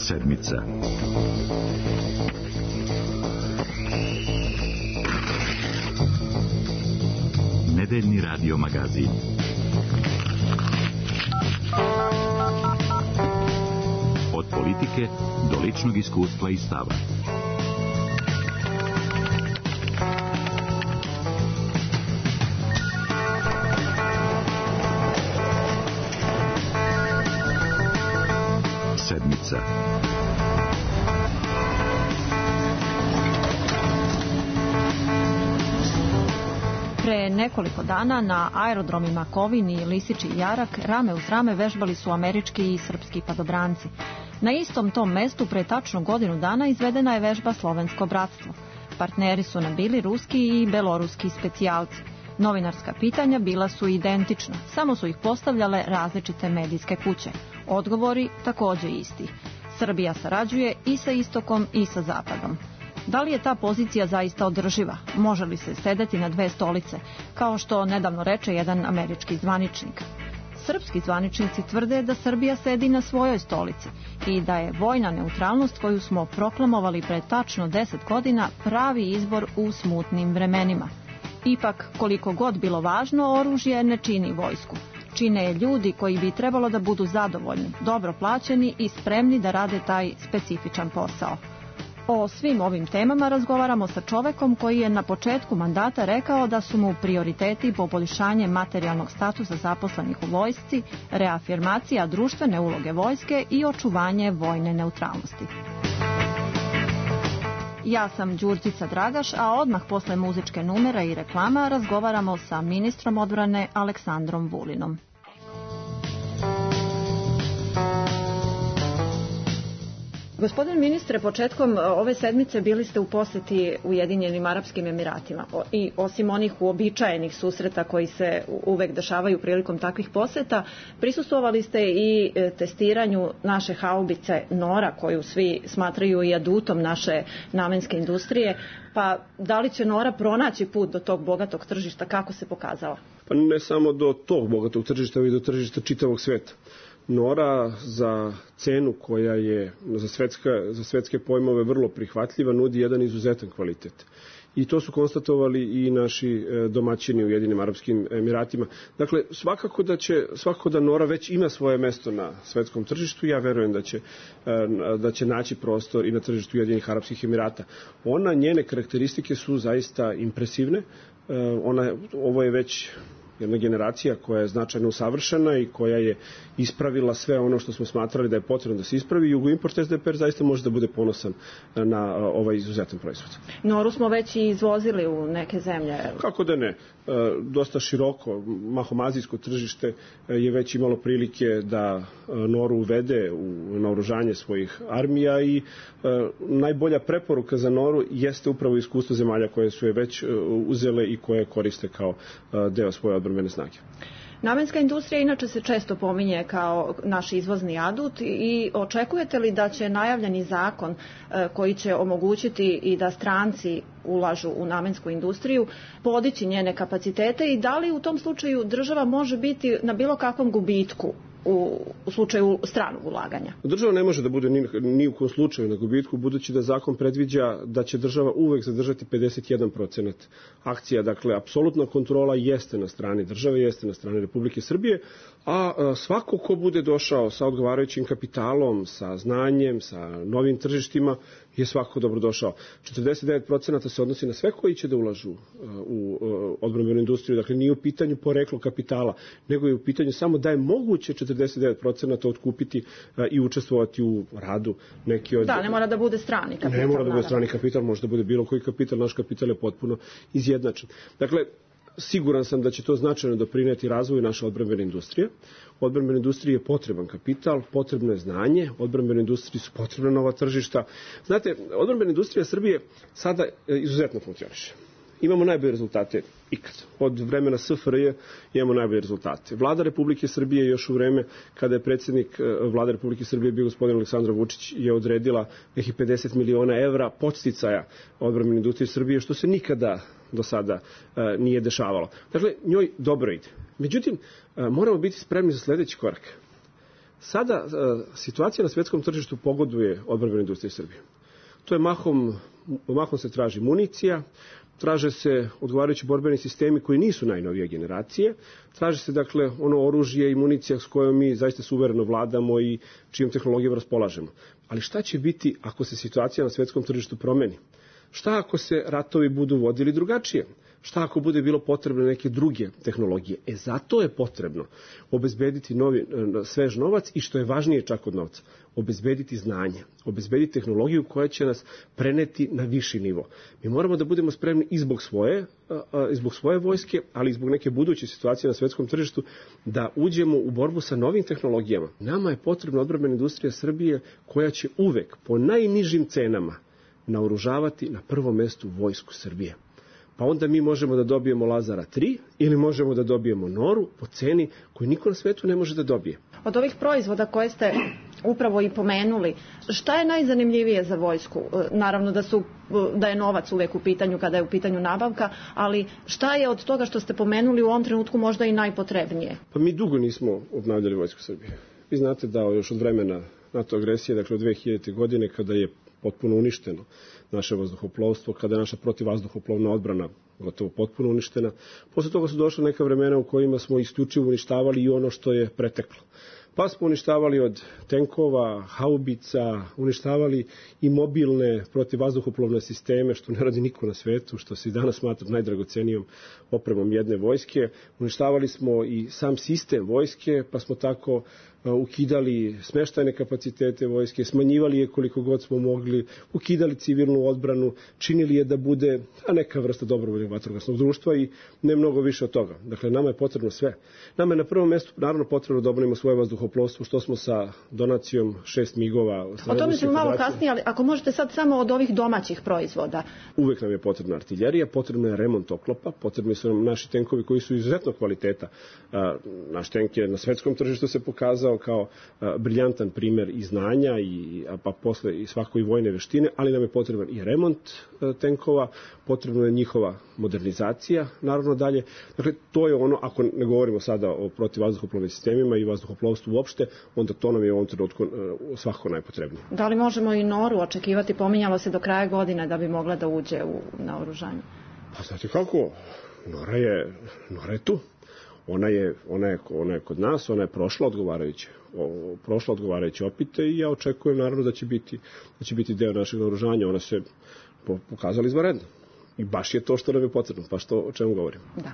Sedmica. Nedeljni radio magazin. Od politike do ličnog iskustva i stava. Sedmica. Pre nekoliko dana na aerodromima Kovin i Lisiči Jarak rame uz rame vežbali su američki i srpski padobranci. Na istom tom mestu pre tačno godinu dana izvedena je vežba Slovensko bratstvo. Partneri su nam bili ruski i beloruski specijalci. Novinarska pitanja bila su identična, samo su ih postavljale različite medijske kuće. Odgovori takođe isti. Srbija sarađuje i sa istokom i sa zapadom. Da li je ta pozicija zaista održiva? Može li se sedeti na dve stolice, kao što nedavno reče jedan američki zvaničnik? Srpski zvaničnici tvrde da Srbija sedi na svojoj stolici i da je vojna neutralnost koju smo proklamovali pre tačno 10 godina pravi izbor u smutnim vremenima. Ipak, koliko god bilo važno, oružje ne čini vojsku. Čine je ljudi koji bi trebalo da budu zadovoljni, dobro plaćeni i spremni da rade taj specifičan posao. O svim ovim temama razgovaramo sa čovekom koji je na početku mandata rekao da su mu prioriteti poboljšanje materijalnog statusa zaposlenih u vojsci, reafirmacija društvene uloge vojske i očuvanje vojne neutralnosti. Ja sam Đurđica Dragaš, a odmah posle muzičke numera i reklama razgovaramo sa ministrom odbrane Aleksandrom Vulinom. Gospodin ministre, početkom ove sedmice bili ste u poseti Ujedinjenim Arapskim Emiratima i osim onih uobičajenih susreta koji se uvek dešavaju prilikom takvih poseta, prisustvovali ste i testiranju naše haubice Nora, koju svi smatraju i adutom naše namenske industrije. Pa da li će Nora pronaći put do tog bogatog tržišta, kako se pokazalo? Pa ne samo do tog bogatog tržišta, već do tržišta čitavog sveta. Nora za cenu koja je za svetske pojmove vrlo prihvatljiva nudi jedan izuzetan kvalitet. I to su konstatovali i naši domaćini u Ujedinjenim Arapskim Emiratima. Dakle, svakako da Nora već ima svoje mesto na svetskom tržištu. Ja verujem da će naći prostor i na tržištu Ujedinjenih Arapskih Emirata. Njene karakteristike su zaista impresivne. Ovo je već jedna generacija koja je značajno usavršena i koja je ispravila sve ono što smo smatrali da je potrebno da se ispravi. Jugoimport SDPR zaista može da bude ponosan na ovaj izuzetan proizvod. Noru smo već i izvozili u neke zemlje. Kako da ne? Dosta široko, mahom azijsko tržište je već imalo prilike da Noru uvede u naoružanje svojih armija i najbolja preporuka za Noru jeste upravo iskustvo zemalja koje su je već uzele i koje koriste kao deo svoje odbrambene snage. Namenska industrija inače se često pominje kao naš izvozni adut i očekujete li da će najavljeni zakon koji će omogućiti i da stranci ulažu u namensku industriju podići njene kapacitete i da li u tom slučaju država može biti na bilo kakvom gubitku u slučaju stranog ulaganja? Država ne može da bude ni u kom slučaju na gubitku, budući da zakon predviđa da će država uvek zadržati 51% akcija. Dakle, apsolutna kontrola jeste na strani države, jeste na strani Republike Srbije, a svako ko bude došao sa odgovarajućim kapitalom, sa znanjem, sa novim tržištima, je svako dobrodošao. 49% se odnosi na sve koji će da ulažu u odbrambenu industriju. Dakle, nije u pitanju poreklo kapitala, nego je u pitanju samo da je moguće 49% otkupiti i učestvovati u radu neki od... Da, ne mora da bude strani kapital. Ne mora da bude strani kapital, može da bude bilo koji kapital, naš kapital je potpuno izjednačen. Dakle, siguran sam da će to značajno doprineti razvoju naše odbrambene industrije. Odbrambene industrije je potreban kapital, potrebno je znanje, odbrambene industrije su potrebna nova tržišta. Znate, odbrambena industrija Srbije sada izuzetno funkcioniše. Imamo najbolje rezultate ikad. Od vremena SFRJ imamo najbolje rezultate. Vlada Republike Srbije još u vreme kada je predsjednik Vlade Republike Srbije bio gospodin Aleksandar Vučić je odredila nekih 50 miliona evra podsticaja odbrambene industrije Srbije, što se nikada do sada nije dešavalo. Dakle, njoj dobro ide. Međutim, moramo biti spremni za sledeći korak. Sada situacija na svetskom tržištu pogoduje odbrambenoj industriji Srbije. To je mahom se traži municija, traže se odgovarajući borbeni sistemi koji nisu najnovije generacije, traže se dakle ono oružje i municija s kojom mi zaista suvereno vladamo i čijom tehnologijom raspolažemo. Ali šta će biti ako se situacija na svetskom tržištu promeni? Šta ako se ratovi budu vodili drugačije? Šta ako bude bilo potrebno neke druge tehnologije? Zato je potrebno obezbediti svež novac i što je važnije čak od novca, obezbediti znanje, obezbediti tehnologiju koja će nas preneti na viši nivo. Mi moramo da budemo spremni i zbog svoje vojske, ali i zbog neke buduće situacije na svetskom tržištu, da uđemo u borbu sa novim tehnologijama. Nama je potrebna odbrambena industrija Srbije koja će uvek po najnižim cenama naoružavati na prvom mestu vojsku Srbije. Pa onda mi možemo da dobijemo Lazara 3 ili možemo da dobijemo Noru po ceni koju niko na svetu ne može da dobije. Od ovih proizvoda koje ste upravo i pomenuli, šta je najzanimljivije za vojsku? Naravno da je novac uvek u pitanju kada je u pitanju nabavka, ali šta je od toga što ste pomenuli u ovom trenutku možda i najpotrebnije? Pa mi dugo nismo obnavljali vojsku Srbije. Vi znate da još od vremena NATO agresije, dakle od 2000. godine kada je potpuno uništeno naše vazduhoplovstvo, kada je naša protivvazduhoplovna odbrana gotovo potpuno uništena. Posle toga su došla neka vremena u kojima smo isključivo uništavali i ono što je preteklo. Pa smo uništavali od tenkova, haubica, uništavali i mobilne protivvazduhoplovne sisteme, što ne radi niko na svetu, što se i danas smatra najdragocenijom opremom jedne vojske. Uništavali smo i sam sistem vojske, pa smo tako ukidali smeštajne kapacitete vojske, smanjivali je koliko god smo mogli, ukidali civilnu odbranu, činili je da bude neka vrsta dobrovoljnog vatrogasnog društva i ne mnogo više od toga. Dakle, nama je potrebno sve. Nama je na prvom mestu naravno potrebno da obnovimo svoje vazduhoplovstvo, što smo sa donacijom 6 migova. O tome ćemo malo kasnije, ali ako možete sad samo od ovih domaćih proizvoda. Uvek nam je potrebna artiljerija, potrebno je remont oklopa, potrebni su nam naši tenkovi koji su izuzetno kvaliteta. Naš tenk je na svetskom tržištu se pokazao kao briljantan primer i znanja, pa posle i svakoj vojne veštine, ali nam je potreban i remont tenkova, potrebna je njihova modernizacija, naravno dalje. Dakle, to je ono, ako ne govorimo sada o protivvazduhoplovnim sistemima i vazduhoplovstvu uopšte, onda to nam je u ovom trenutku svakako najpotrebnije. Da li možemo i Noru očekivati, pominjalo se do kraja godine da bi mogla da uđe na oružanje? Pa znate kako, Nora je tu. Ona je kod nas, ona je prošla odgovarajuće opite i ja očekujem naravno da će biti deo našeg naoružanja. Ona se pokazala izvanredno. I baš je to što nam je potrebno, pa o čemu govorim. Da.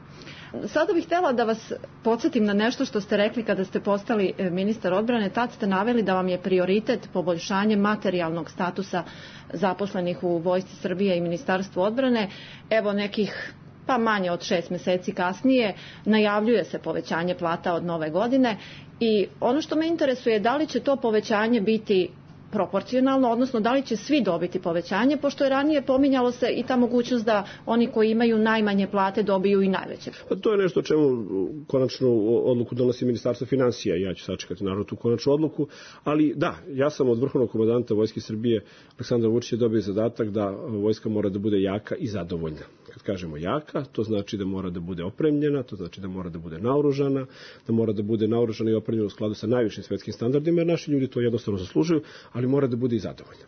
Sada bih htjela da vas podsjetim na nešto što ste rekli kada ste postali ministar odbrane. Tad ste naveli da vam je prioritet poboljšanje materijalnog statusa zaposlenih u Vojsci Srbije i Ministarstvu odbrane. Evo nekih pa manje od 6 meseci kasnije najavljuje se povećanje plata od nove godine i ono što me interesuje je da li će to povećanje biti proporcionalno, odnosno da li će svi dobiti povećanje, pošto je ranije pominjalo se i ta mogućnost da oni koji imaju najmanje plate dobiju i najveće. To je nešto o čemu konačnu odluku donosi Ministarstvo finansija. Ja ću sačekati naravno tu konačnu odluku, ali da, ja sam od vrhovnog komandanta Vojske Srbije Aleksandra Vučića dobio zadatak da vojska mora da bude jaka i zadovoljna. Kad kažemo jaka, to znači da mora da bude opremljena, to znači da mora da bude naoružana, da mora da bude naoružana i opremljena u skladu sa najvišim svetskim standardima, jer naši ljudi to jednostavno zaslužuju, ali mora da bude i zadovoljna.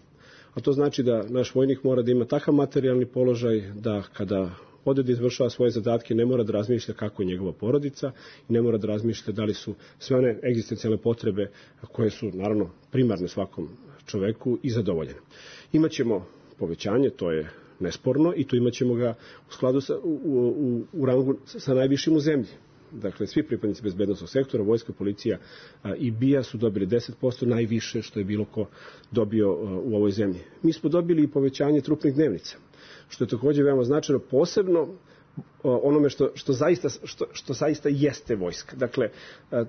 A to znači da naš vojnik mora da ima takav materijalni položaj da kada ode da izvršava svoje zadatke ne mora da razmišlja kako je njegova porodica i ne mora da razmišlja da li su sve one egzistencijalne potrebe koje su naravno primarne svakom čoveku i zadovoljene. Imaćemo povećanje, to je nesporno, i tu imaćemo ga u skladu u rangu sa najvišim u zemlji. Dakle, svi pripadnici bezbednosnog sektora, vojska, policija i BIA su dobili 10%, najviše što je bilo ko dobio u ovoj zemlji. Mi smo dobili i povećanje trupnih dnevnica, što je također veoma značajno, posebno onome što zaista jeste vojska. Dakle,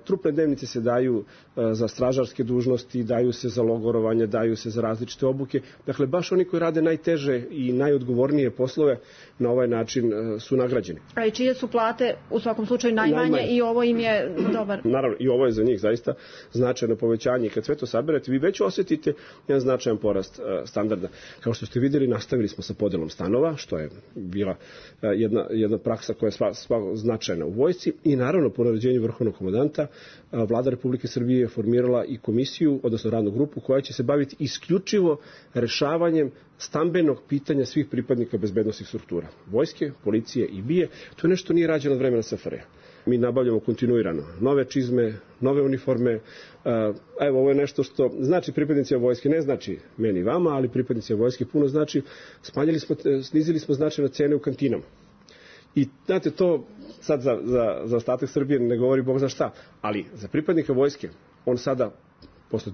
trupne dnevnice se daju za stražarske dužnosti, daju se za logorovanje, daju se za različite obuke. Dakle, baš oni koji rade najteže i najodgovornije poslove na ovaj način su nagrađeni. A i čije su plate u svakom slučaju najmanje i ovo im je dobar? Naravno, i ovo je za njih zaista značajno povećanje. I kad sve to saberete, vi već osjetite jedan značajan porast standarda. Kao što ste vidjeli, nastavili smo sa podelom stanova, što je bila jedna praksa koja je značajna u vojsci i naravno po naređenju vrhovnog komandanta Vlada Republike Srbije je formirala i komisiju, odnosno radnu grupu koja će se baviti isključivo rešavanjem stambenog pitanja svih pripadnika bezbednosnih struktura. Vojske, policije i BIA, to je nešto nije rađeno od vremena SFRJ. Mi nabavljamo kontinuirano nove čizme, nove uniforme. Evo, ovo je nešto što znači pripadnicima vojske, ne znači meni i vama, ali pripadnicima vojske puno znači. Snizili smo značajno cene u kantinama. I znate, to sad za ostatak Srbije ne govori Bog za šta, ali za pripadnika vojske on sada posle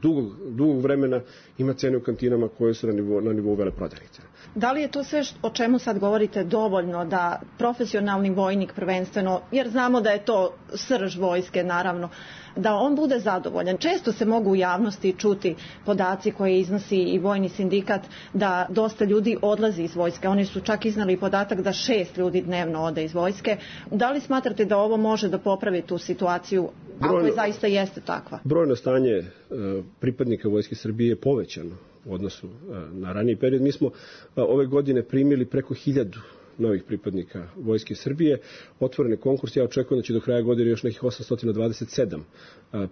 dugog vremena ima cene u kantinama koje su na nivou veleprodajnice. Da li je to sve o čemu sad govorite dovoljno da profesionalni vojnik prvenstveno, jer znamo da je to srž vojske naravno, da on bude zadovoljan? Često se mogu u javnosti čuti podaci koje iznosi i vojni sindikat da dosta ljudi odlazi iz vojske. Oni su čak iznali podatak da 6 ljudi dnevno ode iz vojske. Da li smatrate da ovo može da popravi tu situaciju, ako je zaista jeste takva? Brojno stanje pripadnika Vojske Srbije je povećano u odnosu na raniji period. Mi smo ove godine primili preko 1000 novih pripadnika Vojske Srbije. Otvorene konkurs, ja očekujem da će do kraja godine još nekih 827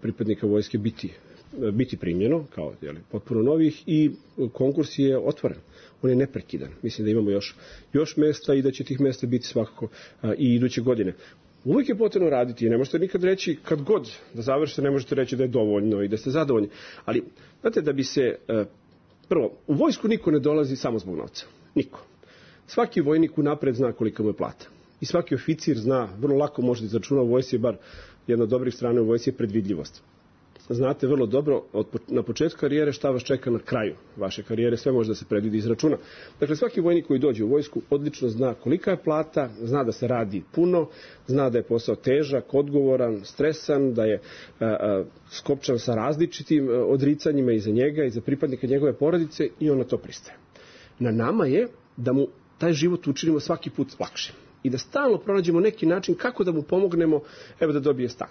pripadnika Vojske biti primljeno kao potpuno novih i konkurs je otvoren. On je neprekidan. Mislim da imamo još mesta i da će tih mesta biti svakako i iduće godine. Uvijek je potrebno raditi i ne možete nikad reći kad god da završite, ne možete reći da je dovoljno i da ste zadovoljni. Ali, znate, da bi se, prvo, u vojsku niko ne dolazi samo zbog novca. Niko. Svaki vojnik unapred zna kolika mu je plata. I svaki oficir zna, vrlo lako može da izračuna u vojsci, bar jedna od dobrih strana u vojsci je predvidljivost. Znate vrlo dobro na početku karijere šta vas čeka na kraju vaše karijere, sve može da se predvidi i izračuna. Dakle, svaki vojnik koji dođe u vojsku odlično zna kolika je plata, zna da se radi puno, zna da je posao težak, odgovoran, stresan, da je skopčan sa različitim odricanjima i za njega i za pripadnika njegove porodice i on na to pristaje. Na nama je da mu taj život učinimo svaki put lakše i da stalno pronađemo neki način kako da mu pomognemo da dobije stan.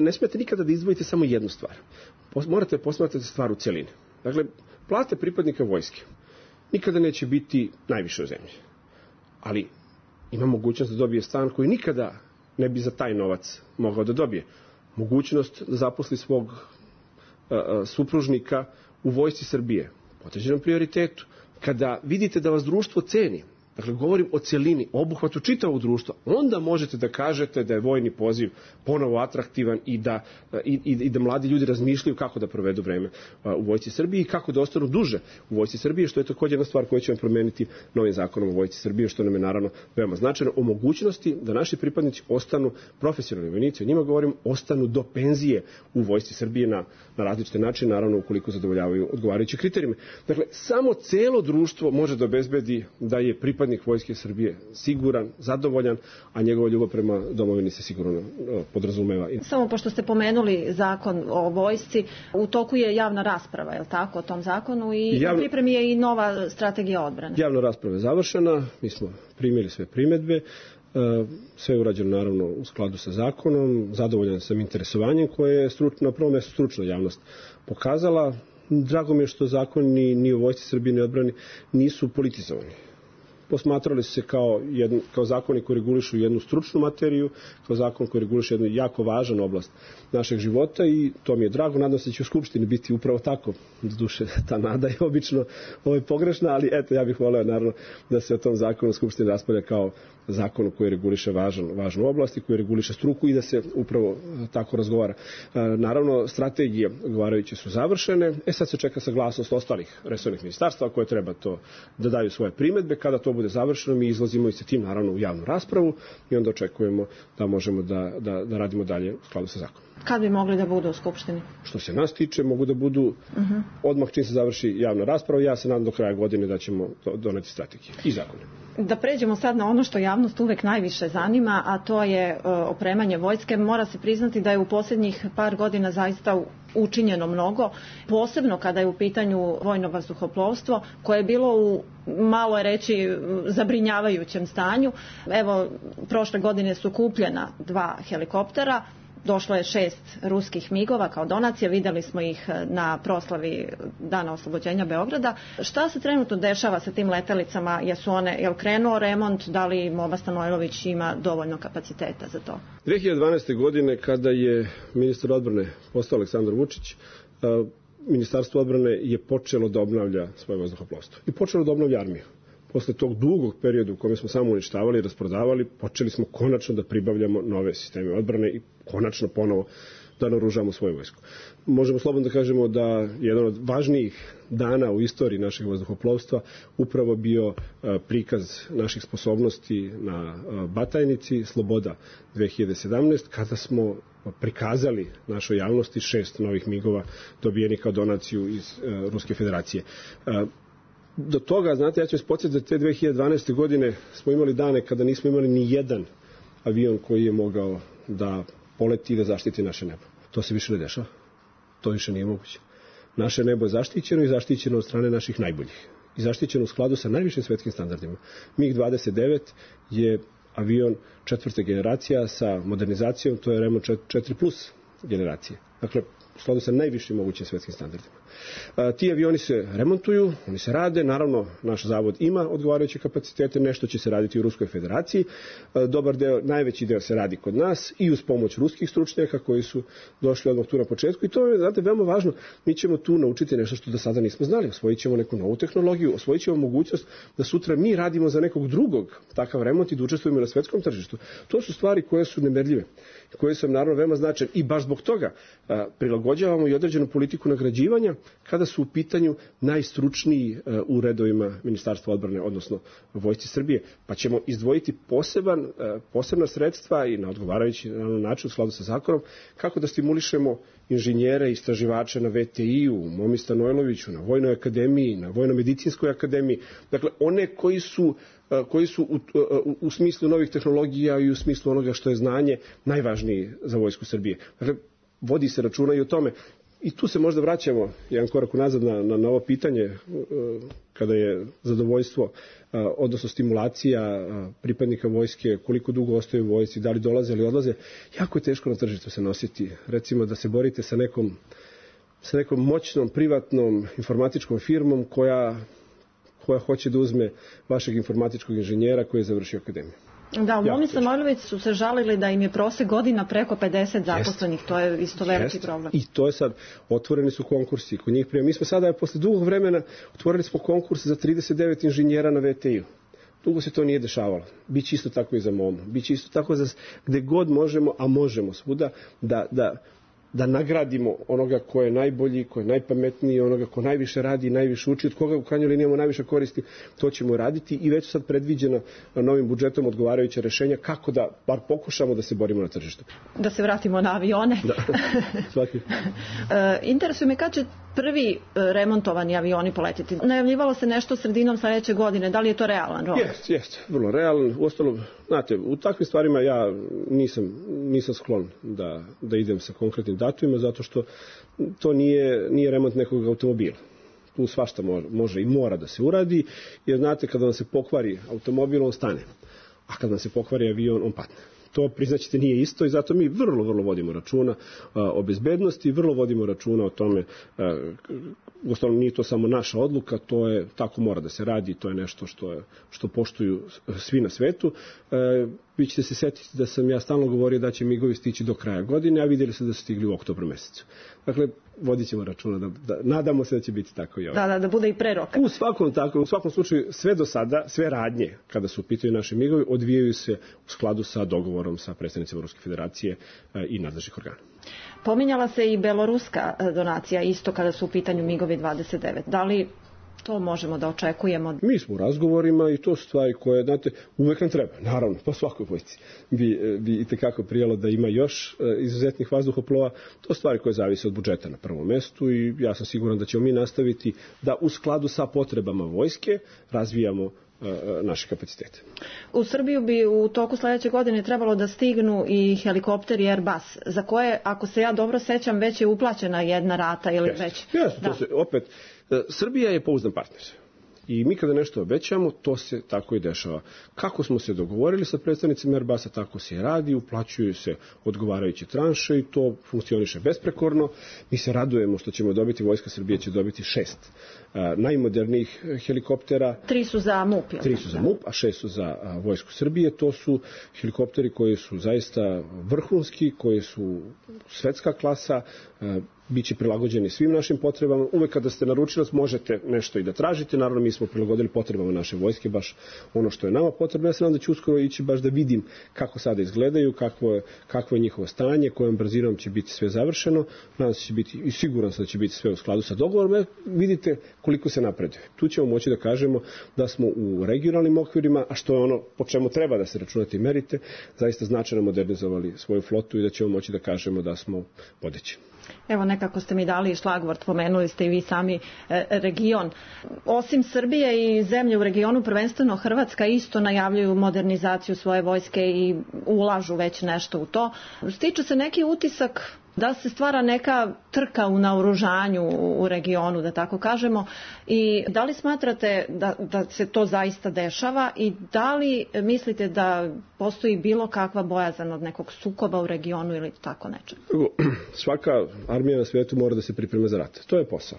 Ne smijete nikada da izdvojite samo jednu stvar. Morate posmatrati stvar u cjelini. Dakle, plate pripadnika vojske nikada neće biti najviše u zemlji. Ali ima mogućnost da dobije stan koji nikada ne bi za taj novac mogao da dobije. Mogućnost da zaposli svog supružnika u Vojsci Srbije po određenom prioritetu. Kada vidite da vas društvo ceni, dakle, govorim o celini, o obuhvatu čitavog društva, onda možete da kažete da je vojni poziv ponovo atraktivan i da mladi ljudi razmišljaju kako da provedu vreme u Vojsci Srbije i kako da ostanu duže u Vojsci Srbije, što je također jedna stvar koju ćemo promeniti novim zakonom o Vojsci Srbije, što nam je naravno veoma značajno, o mogućnosti da naši pripadnici ostanu profesionalni vojnici, o njima govorim, ostanu do penzije u Vojsci Srbije na različite načine, naravno ukoliko zadovoljavaju odgovarajuće kriterijume. Dakle, samo celo društvo može da obezbedi da je pripadnik Vojske Srbije siguran, zadovoljan, a njegova ljubav prema domovini se sigurno podrazumeva. Samo pošto ste pomenuli zakon o vojsci, u toku je javna rasprava, je li tako, o tom zakonu i u pripremi je i nova strategija odbrane. Javna rasprava je završena, mi smo primili sve primedbe, sve je urađeno naravno u skladu sa zakonom, zadovoljan sam interesovanjem koje je na prvom mjestu stručna javnost pokazala. Drago mi je što zakoni ni u Vojsci Srbije ni odbrani nisu politizovani. Posmatrali su se kao zakoni koji regulišu jednu stručnu materiju, kao zakon koji reguliše jednu jako važnu oblast našeg života i to mi je drago. Nadam se da će u Skupštini biti upravo tako. Zduše, ta nada je obično pogrešna, ali eto, ja bih voleo naravno da se o tom zakonu u Skupštini raspravlja kao zakonu koji reguliše važnu oblast i koji reguliše struku i da se upravo tako razgovara. Naravno, strategije odgovarajuće su završene. Sad se čeka saglasnost ostalih resornih ministarstva koje treba to da daju svoje primedbe. Kada to bude završeno, mi izlazimo i sa tim naravno u javnu raspravu i onda očekujemo da možemo da radimo dalje u skladu sa zakonom. Kad bi mogli da budu u Skupštini? Što se nas tiče, mogu da budu odmah čim se završi javna rasprava. Ja se nadam do kraja godine da ćemo doneti strategije i zakone. Da pređemo sad na ono što javnost uvek najviše zanima, a to je opremanje vojske. Mora se priznati da je u posljednjih par godina zaista učinjeno mnogo, posebno kada je u pitanju vojno vazduhoplovstvo, koje je bilo u, malo je reći, zabrinjavajućem stanju. Evo, prošle godine su kupljena 2 helikoptera. Došlo je 6 ruskih migova kao donacija, vidjeli smo ih na proslavi Dana oslobođenja Beograda. Šta se trenutno dešava sa tim letelicama? Jel krenuo remont? Da li Moba Stanojlović ima dovoljno kapaciteta za to? 2012. godine, kada je ministar odbrane postao Aleksandar Vučić, Ministarstvo odbrane je počelo da obnavlja svoje vazduhoplovstvo i počelo da obnavlja armiju. Posle tog dugog perioda u kome smo samo uništavali i rasprodavali, počeli smo konačno da pribavljamo nove sisteme odbrane i konačno ponovo da naoružamo svoju vojsku. Možemo slobodno da kažemo da jedan od važnijih dana u istoriji našeg vazduhoplovstva upravo bio prikaz naših sposobnosti na Batajnici Sloboda 2017, kada smo prikazali našoj javnosti 6 novih migova dobijenih kao donaciju iz Ruske federacije. Do toga, znate, ja ću vas podsjetiti da te 2012. godine smo imali dane kada nismo imali ni jedan avion koji je mogao da poleti i da zaštiti naše nebo. To se više ne dešava. To više nije moguće. Naše nebo je zaštićeno i zaštićeno od strane naših najboljih. I zaštićeno u skladu sa najvišim svetskim standardima. MiG-29 je avion 4. generacija sa modernizacijom, to je Renault 4+ generacije. Dakle, u skladu sa najvišim mogućim svetskim standardima. Ti avioni se remontuju, oni se rade, naravno naš zavod ima odgovarajuće kapacitete, nešto će se raditi u Ruskoj federaciji, dobar deo, najveći deo se radi kod nas i uz pomoć ruskih stručnjaka koji su došli odmah tu na početku i to je, znate, veoma važno, mi ćemo tu naučiti nešto što do sada nismo znali, osvojit ćemo neku novu tehnologiju, osvojit ćemo mogućnost da sutra mi radimo za nekog drugog takav remont i da učestvujemo na svetskom tržištu. To su stvari koje su nemerljive, koje su naravno veoma značajne i baš zbog toga prilagođavamo i određenu politiku nagrađivanja kada su u pitanju najstručniji u redovima Ministarstva odbrane, odnosno Vojsci Srbije, pa ćemo izdvojiti posebna sredstva i na odgovarajući način u skladu sa zakonom kako da stimulišemo inženjere i istraživače na VTI-u, Momi Stanojloviću, na Vojnoj akademiji, na Vojno-medicinskoj akademiji, dakle one koji su u smislu novih tehnologija i u smislu onoga što je znanje najvažniji za Vojsku Srbije. Dakle, vodi se računa i o tome. I tu se možda vraćamo jedan korak unazad na ovo pitanje kada je zadovoljstvo, odnosno stimulacija pripadnika vojske, koliko dugo ostaju u vojsci, da li dolaze ili odlaze. Jako je teško na tržištu se nositi. Recimo da se borite sa nekom moćnom, privatnom informatičkom firmom koja hoće da uzme vašeg informatičkog inženjera koji je završio akademiju. Da, u Momi Stanojlović su se žalili da im je prosek godina preko 50 zaposlenih, to je isto veliki problem. I to je sad, otvoreni su konkursi kod njih prije. Mi smo sada, posle dugog vremena, otvorili smo konkurs za 39 inženjera na VTI-u. Dugo se to nije dešavalo. Biće isto tako i za MOMU. Biće isto tako za gde god možemo, a možemo svuda, da nagradimo onoga ko je najbolji, ko je najpametniji, onoga ko najviše radi i najviše uči, od koga u krajnjoj liniji imamo najviše koristi, to ćemo raditi i već sad predviđeno novim budžetom odgovarajuće rešenja kako da bar pokušamo da se borimo na tržištu. Da se vratimo na avione. Da, svaki. Interesuje me kad će prvi remontovani avioni poletiti. Najavljivalo se nešto sredinom sledeće godine, da li je to realan rok? Jeste, vrlo realan. Uostalom, znate, u takvim stvarima ja nisam sklon da idem sa konkretnim datumima, zato što to nije remont nekog automobila. Tu svašta može i mora da se uradi, jer znate, kada vam se pokvari automobil, on stane, a kada vam se pokvari avion, on padne. To, priznaćete, nije isto i zato mi vrlo vodimo računa o bezbednosti, vrlo vodimo računa o tome, uostalom nije to samo naša odluka, to je, tako mora da se radi, to je nešto što poštuju svi na svetu. Vi ćete se setiti da sam ja stalno govorio da će migovi stići do kraja godine, a vidjeli se da su stigli u oktobru mesecu. Dakle, vodit ćemo računa, nadamo se da će biti tako i ovo. Da bude i pre roka. U svakom slučaju, sve do sada, sve radnje, kada su u pitanju naši migovi, odvijaju se u skladu sa dogovorom sa predstavnicima Ruske federacije i nadležnih organa. Pominjala se i beloruska donacija, isto kada su u pitanju migovi 29. Da li to možemo da očekujemo? Mi smo u razgovorima i to su stvari koje, znate, uvek nam treba, naravno, po svakoj vojsci bi itekako prijelo da ima još izuzetnih vazduhoplova. To su stvari koje zavise od budžeta na prvom mestu i ja sam siguran da ćemo mi nastaviti da u skladu sa potrebama vojske razvijamo naše kapacitete. U Srbiju bi u toku sledeće godine trebalo da stignu i helikopteri Airbus, za koje, ako se ja dobro sećam, već je uplaćena jedna rata ili već... Jeste, to se opet... Srbija je pouzdan partner I mi kada nešto obećamo, to se tako i dešava. Kako smo se dogovorili sa predstavnicima Airbusa, tako se i radi, uplaćuju se odgovarajuće tranše i to funkcioniše besprekorno. Mi se radujemo što ćemo dobiti, Vojska Srbije će dobiti 6 najmodernijih helikoptera. 3 su za MUP. 3 su za MUP, a 6 su za Vojsku Srbije. To su helikopteri koji su zaista vrhunski, koji su svetska klasa, biće prilagođeni svim našim potrebama. Uvek kada ste naručilac možete nešto i da tražite. Naravno, mi smo prilagodili potrebama naše vojske, baš ono što je nama potrebno. Ja se nadam da ću uskoro ići baš da vidim kako sada izgledaju, kakvo je njihovo stanje, kojom brzinom će biti sve završeno. Nadam se da će biti, i siguran sam da će biti sve u skladu sa dogovorom. Vidite koliko se napreduje. Tu ćemo moći da kažemo da smo u regionalnim okvirima, a što je ono po čemu treba da se računate i merite, zaista značajno modernizovali svoju flotu i da ćemo moći da kažemo da smo vodeći. Evo, nekako ste mi dali šlagvort, pomenuli ste i vi sami region. Osim Srbije i zemlje u regionu, prvenstveno Hrvatska isto najavljuju modernizaciju svoje vojske i ulažu već nešto u to. Stiče se neki utisak da se stvara neka trka u naoružanju u regionu, da tako kažemo, i da li smatrate da se to zaista dešava i da li mislite da postoji bilo kakva bojazan od nekog sukoba u regionu ili tako nečeg? Svaka armija na svijetu mora da se priprema za rat. To je posao.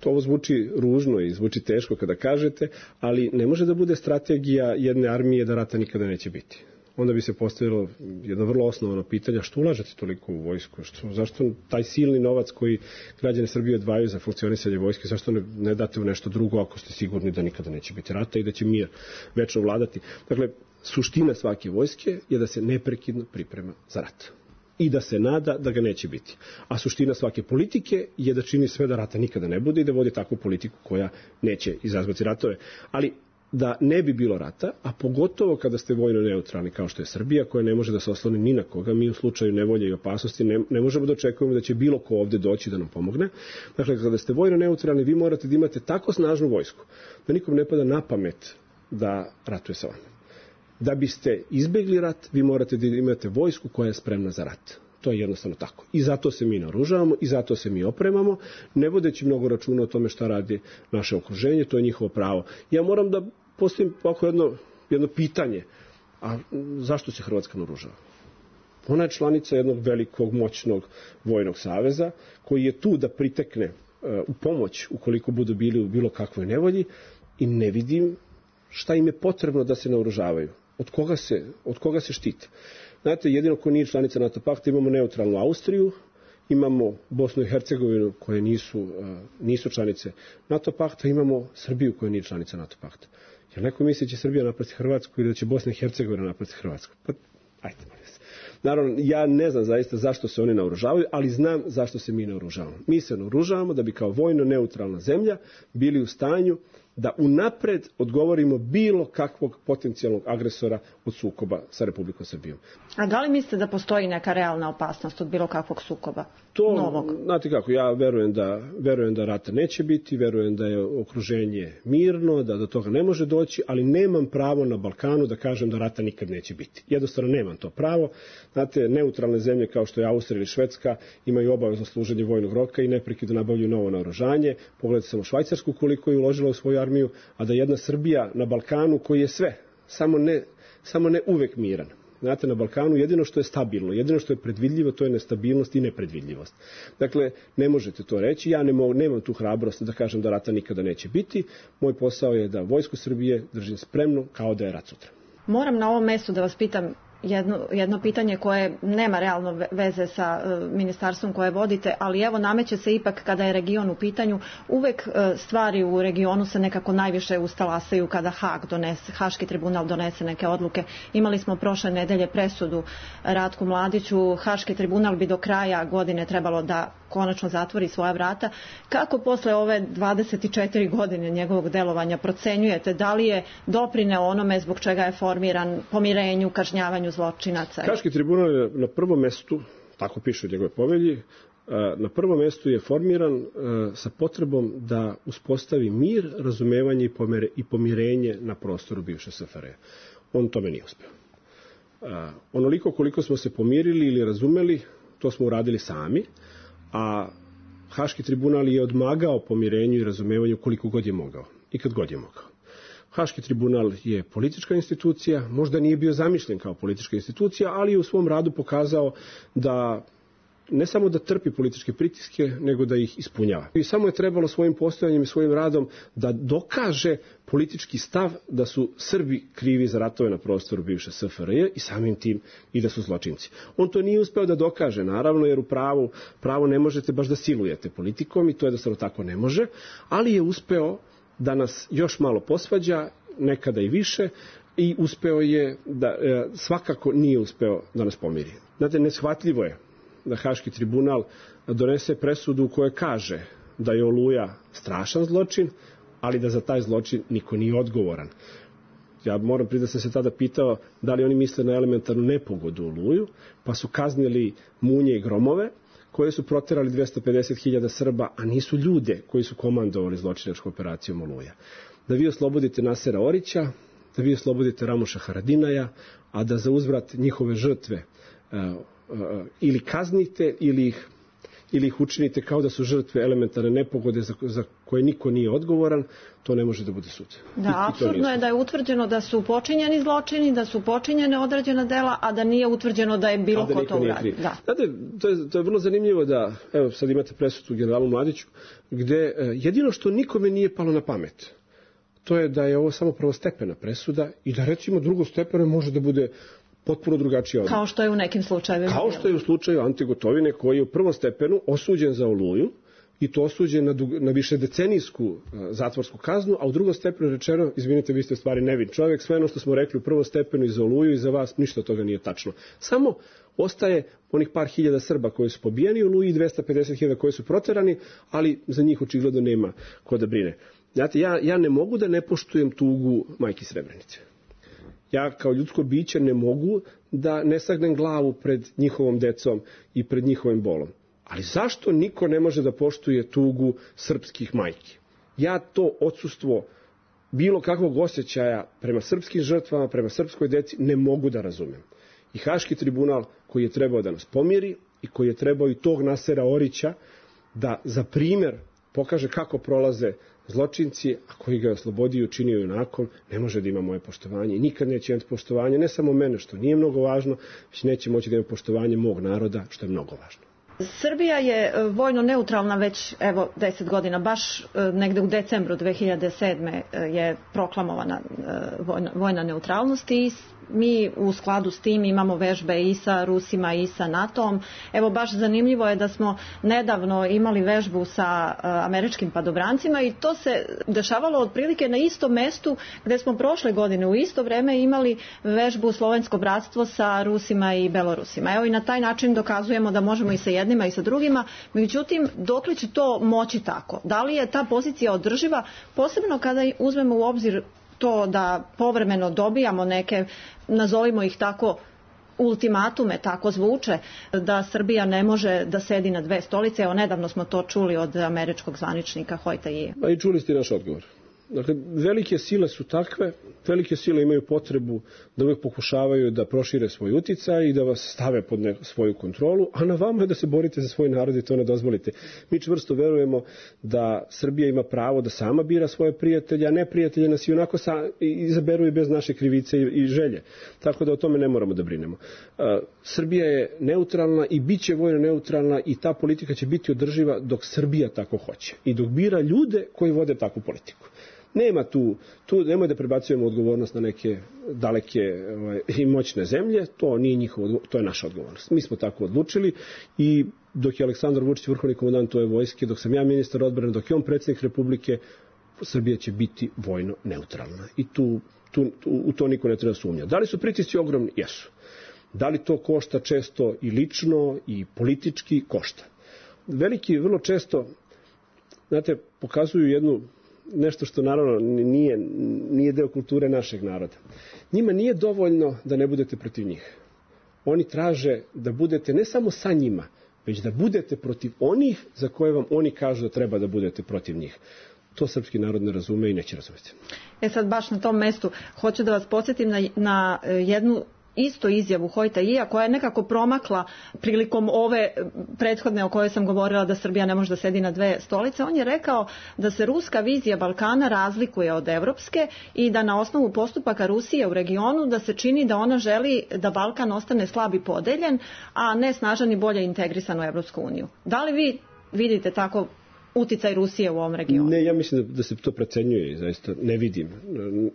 To ovo zvuči ružno i zvuči teško kada kažete, ali ne može da bude strategija jedne armije da rata nikada neće biti. Onda bi se postavilo jedno vrlo osnovno pitanje, što ulažete toliko u vojsku? Zašto taj silni novac koji građani Srbije odvajaju za funkcionisanje vojske, zašto ne date u nešto drugo ako ste sigurni da nikada neće biti rata i da će mir večno vladati? Dakle, suština svake vojske je da se neprekidno priprema za rat i da se nada da ga neće biti. A suština svake politike je da čini sve da rata nikada ne bude i da vodi takvu politiku koja neće izazvati ratove. Ali da ne bi bilo rata, a pogotovo kada ste vojno neutralni kao što je Srbija, koja ne može da se osloni ni na koga, mi u slučaju nevolje i opasnosti ne možemo da očekujemo da će bilo ko ovde doći da nam pomogne. Dakle, kada ste vojno neutralni, vi morate da imate tako snažnu vojsku da nikom ne pada na pamet da ratuje sa vama. Da biste izbegli rat, vi morate da imate vojsku koja je spremna za rat. To je jednostavno tako. I zato se mi naoružavamo i zato se mi opremamo, ne vodeći mnogo računa o tome šta radi naše okruženje, to je njihovo pravo. Ja moram da postavim ovako jedno pitanje, a zašto se Hrvatska naoružava? Ona je članica jednog velikog, moćnog vojnog saveza, koji je tu da pritekne u pomoć ukoliko budu bili u bilo kakvoj nevolji i ne vidim šta im je potrebno da se naoružavaju. Od koga se štite? Znate, jedino ko nije članica NATO pakta, imamo neutralnu Austriju, imamo Bosnu i Hercegovinu koje nisu članice NATO pakta, imamo Srbiju koja nije članica NATO pakta. Jer neko misli da će Srbija napasti Hrvatsku ili da će Bosna i Hercegovina napasti Hrvatsku? Pa, ajde, molim se. Naravno, ja ne znam zaista zašto se oni naoružavaju, ali znam zašto se mi naoružavamo. Mi se naoružavamo da bi kao vojno neutralna zemlja bili u stanju da unapred odgovorimo bilo kakvog potencijalnog agresora od sukoba sa Republikom Srbijom. A da li mislite da postoji neka realna opasnost od bilo kakvog sukoba novog? Znate kako, ja verujem da rata neće biti, verujem da je okruženje mirno, da do toga ne može doći, ali nemam pravo na Balkanu da kažem da rata nikad neće biti. Jednostavno nemam to pravo. Znate, neutralne zemlje kao što je Austrija ili Švedska imaju obavezno služenje vojnog roka i neprekidno nabavljaju novo naoružanje. Pogledajte samo Švajcarsku koliko je uložila u svoju armiju, a da jedna Srbija na Balkanu koji je sve, samo ne uvek miran. Znate, na Balkanu jedino što je stabilno, jedino što je predvidljivo, to je nestabilnost i nepredvidljivost. Dakle, ne možete to reći, ja nemam tu hrabrost da kažem da rata nikada neće biti. Moj posao je da vojsku Srbije držim spremno kao da je rat sutra. Moram na ovom mestu da vas pitam jedno pitanje koje nema realno veze sa ministarstvom koje vodite, ali evo nameće se ipak kada je region u pitanju, uvek stvari u regionu se nekako najviše ustalasaju kada Haški tribunal donese neke odluke. Imali smo prošle nedelje presudu Ratku Mladiću, Haški tribunal bi do kraja godine trebalo da konačno zatvori svoja vrata. Kako posle ove 24 godine njegovog delovanja procenjujete da li je doprineo onome zbog čega je formiran, pomirenju, kažnjavanju zločinaca? Haški tribunal je na prvom mestu, tako piše u njegove povelji, na prvom mestu je formiran sa potrebom da uspostavi mir, razumevanje i pomirenje na prostoru bivše SFRJ. On tome nije uspeo. Onoliko koliko smo se pomirili ili razumeli, to smo uradili sami, a Haški tribunal je odmagao pomirenju i razumevanju koliko god je mogao. i kad god je mogao. Haški tribunal je politička institucija, možda nije bio zamišljen kao politička institucija, ali je u svom radu pokazao da ne samo da trpi političke pritiske, nego da ih ispunjava. I samo je trebalo svojim postojanjem i svojim radom da dokaže politički stav da su Srbi krivi za ratove na prostoru bivše SFRJ i samim tim i da su zločinci. On to nije uspeo da dokaže, naravno, jer u pravo ne možete baš da silujete politikom i to jednostavno tako ne može, ali je uspeo da nas još malo posvađa, nekada i više, i uspeo je da, svakako nije uspeo da nas pomiri. Znate, neshvatljivo je da Haški tribunal donese presudu u kojoj kaže da je Oluja strašan zločin, ali da za taj zločin niko nije odgovoran. Ja moram priznati da sam se tada pitao da li oni misle na elementarnu nepogodu Oluju, pa su kaznili Munje i Gromove, koje su proterali 250.000 Srba, a nisu ljude koji su komandovali zločinačkom operacijom Oluja. Da vi oslobodite Nasera Orića, da vi oslobodite Ramuša Haradinaja, a da za uzvrat njihove žrtve ili kaznite ili ih učinite kao da su žrtve elementarne nepogode za koje niko nije odgovoran, to ne može da bude sud. Da, apsurdno je da je utvrđeno da su počinjeni zločini, da su počinjene određena dela, a da nije utvrđeno da je bilo ko to uradio. Znate, to je vrlo zanimljivo da, evo sad imate presudu generalu Mladiću, gde jedino što nikome nije palo na pamet, to je da je ovo samo prvostepena presuda i da recimo drugostepena može da bude potpuno drugačija odluka. Kao što je u nekim slučajevima. Kao što je u slučaju Ante Gotovine, koji je u prvom stepenu osuđen za Oluju i to osuđen na višedecenijsku zatvorsku kaznu, a u drugom stepenu rečeno, izvinite, vi ste stvari nevin čovjek, sve ono što smo rekli u prvom stepenu i za Oluju i za vas, ništa od toga nije tačno. Samo ostaje onih par hiljada Srba koji su pobijeni u Oluji i 250.000 koji su proterani, ali za njih očigledno nema ko da brine. Znate, ja ne mogu da ne poštujem tugu majki Srebrenice. Ja kao ljudsko biće ne mogu da ne sagnem glavu pred njihovom decom i pred njihovim bolom. Ali zašto niko ne može da poštuje tugu srpskih majki? Ja to odsustvo bilo kakvog osjećaja prema srpskim žrtvama, prema srpskoj deci ne mogu da razumem. I Haški tribunal koji je trebao da nas pomiri i koji je trebao i tog Nasera Orića da za primjer pokaže kako prolaze zločinci, a koji ga je oslobodio i učinio junakom, ne može da ima moje poštovanje i nikad neće imati poštovanje, ne samo mene, što nije mnogo važno, već neće moći da ima poštovanje mog naroda, što je mnogo važno. Srbija je vojno neutralna već 10 godina, baš negde u decembru 2007. je proklamovana vojna neutralnost i mi u skladu s tim imamo vežbe i sa Rusima i sa NATO-om. Evo baš zanimljivo je da smo nedavno imali vežbu sa američkim padobrancima i to se dešavalo otprilike na istom mestu gde smo prošle godine u isto vreme imali vežbu Slovensko bratstvo sa Rusima i Belorusima. Evo i na taj način dokazujemo da možemo i sa jednima i sa drugima, međutim dokle će to moći tako? Da li je ta pozicija održiva, posebno kada uzmemo u obzir to da povremeno dobijamo neke, nazovimo ih tako, ultimatume, tako zvuče, da Srbija ne može da sedi na dve stolice. Evo, nedavno smo to čuli od američkog zvaničnika Hojtaije. Pa i čuli ste naš odgovor. Dakle, velike sile su takve, velike sile imaju potrebu da uvijek pokušavaju da prošire svoj uticaj i da vas stave pod svoju kontrolu, a na vama je da se borite za svoj narod i to ne dozvolite. Mi čvrsto verujemo da Srbija ima pravo da sama bira svoje prijatelje, a neprijatelje nas i onako izaberu i bez naše krivice i želje. Tako da o tome ne moramo da brinemo. Srbija je neutralna i bit će vojno neutralna i ta politika će biti održiva dok Srbija tako hoće i dok bira ljude koji vode takvu politiku. Nema tu nemoj da prebacujemo odgovornost na neke daleke i moćne zemlje, to nije njihovo, to je naša odgovornost. Mi smo tako odlučili i dok je Aleksandar Vučić vrhovni komandant ove vojske, dok sam ja ministar odbrane, dok je on predsjednik Republike, Srbija će biti vojno neutralna. I u to niko ne treba sumnjati. Da li su pritisci ogromni? Jesu. Da li to košta često i lično i politički? Košta. Veliki vrlo često, znate, pokazuju nešto što naravno nije deo kulture našeg naroda. Njima nije dovoljno da ne budete protiv njih. Oni traže da budete ne samo sa njima, već da budete protiv onih za koje vam oni kažu da treba da budete protiv njih. To srpski narod ne razume i neće razumeti. Sad baš na tom mestu hoću da vas podsjetim na jednu isto izjavu Hojta-Ija koja je nekako promakla prilikom ove prethodne o kojoj sam govorila da Srbija ne može da sedi na dve stolice. On je rekao da se ruska vizija Balkana razlikuje od evropske i da na osnovu postupaka Rusije u regionu da se čini da ona želi da Balkan ostane slab i podeljen, a ne snažan i bolje integrisan u Evropsku uniju. Da li vi vidite tako uticaj Rusije u ovom regionu? Ne, ja mislim da se to precenjuje i zaista ne vidim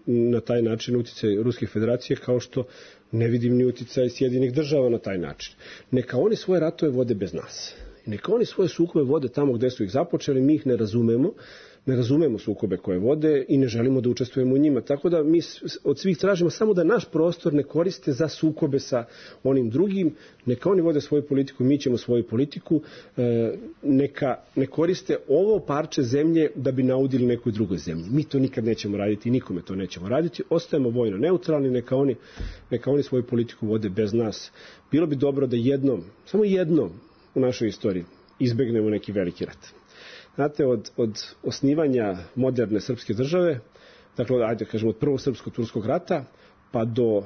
na taj način uticaj Ruske federacije, kao što ne vidim ni uticaj Sjedinjenih država na taj način. Neka oni svoje ratove vode bez nas. Neka oni svoje sukobe vode tamo gde su ih započeli, mi ih ne razumemo sukobe koje vode i ne želimo da učestvujemo u njima. Tako da mi od svih tražimo samo da naš prostor ne koriste za sukobe sa onim drugim. Neka oni vode svoju politiku, mi ćemo svoju politiku. Neka ne koriste ovo parče zemlje da bi naudili nekoj drugoj zemlji. Mi to nikad nećemo raditi i nikome to nećemo raditi. Ostajemo vojno neutralni, neka oni svoju politiku vode bez nas. Bilo bi dobro da samo jednom u našoj istoriji izbegnemo neki veliki rat. Znate, od osnivanja moderne srpske države, dakle, ajde kažemo od prvog srpsko-turskog rata, pa do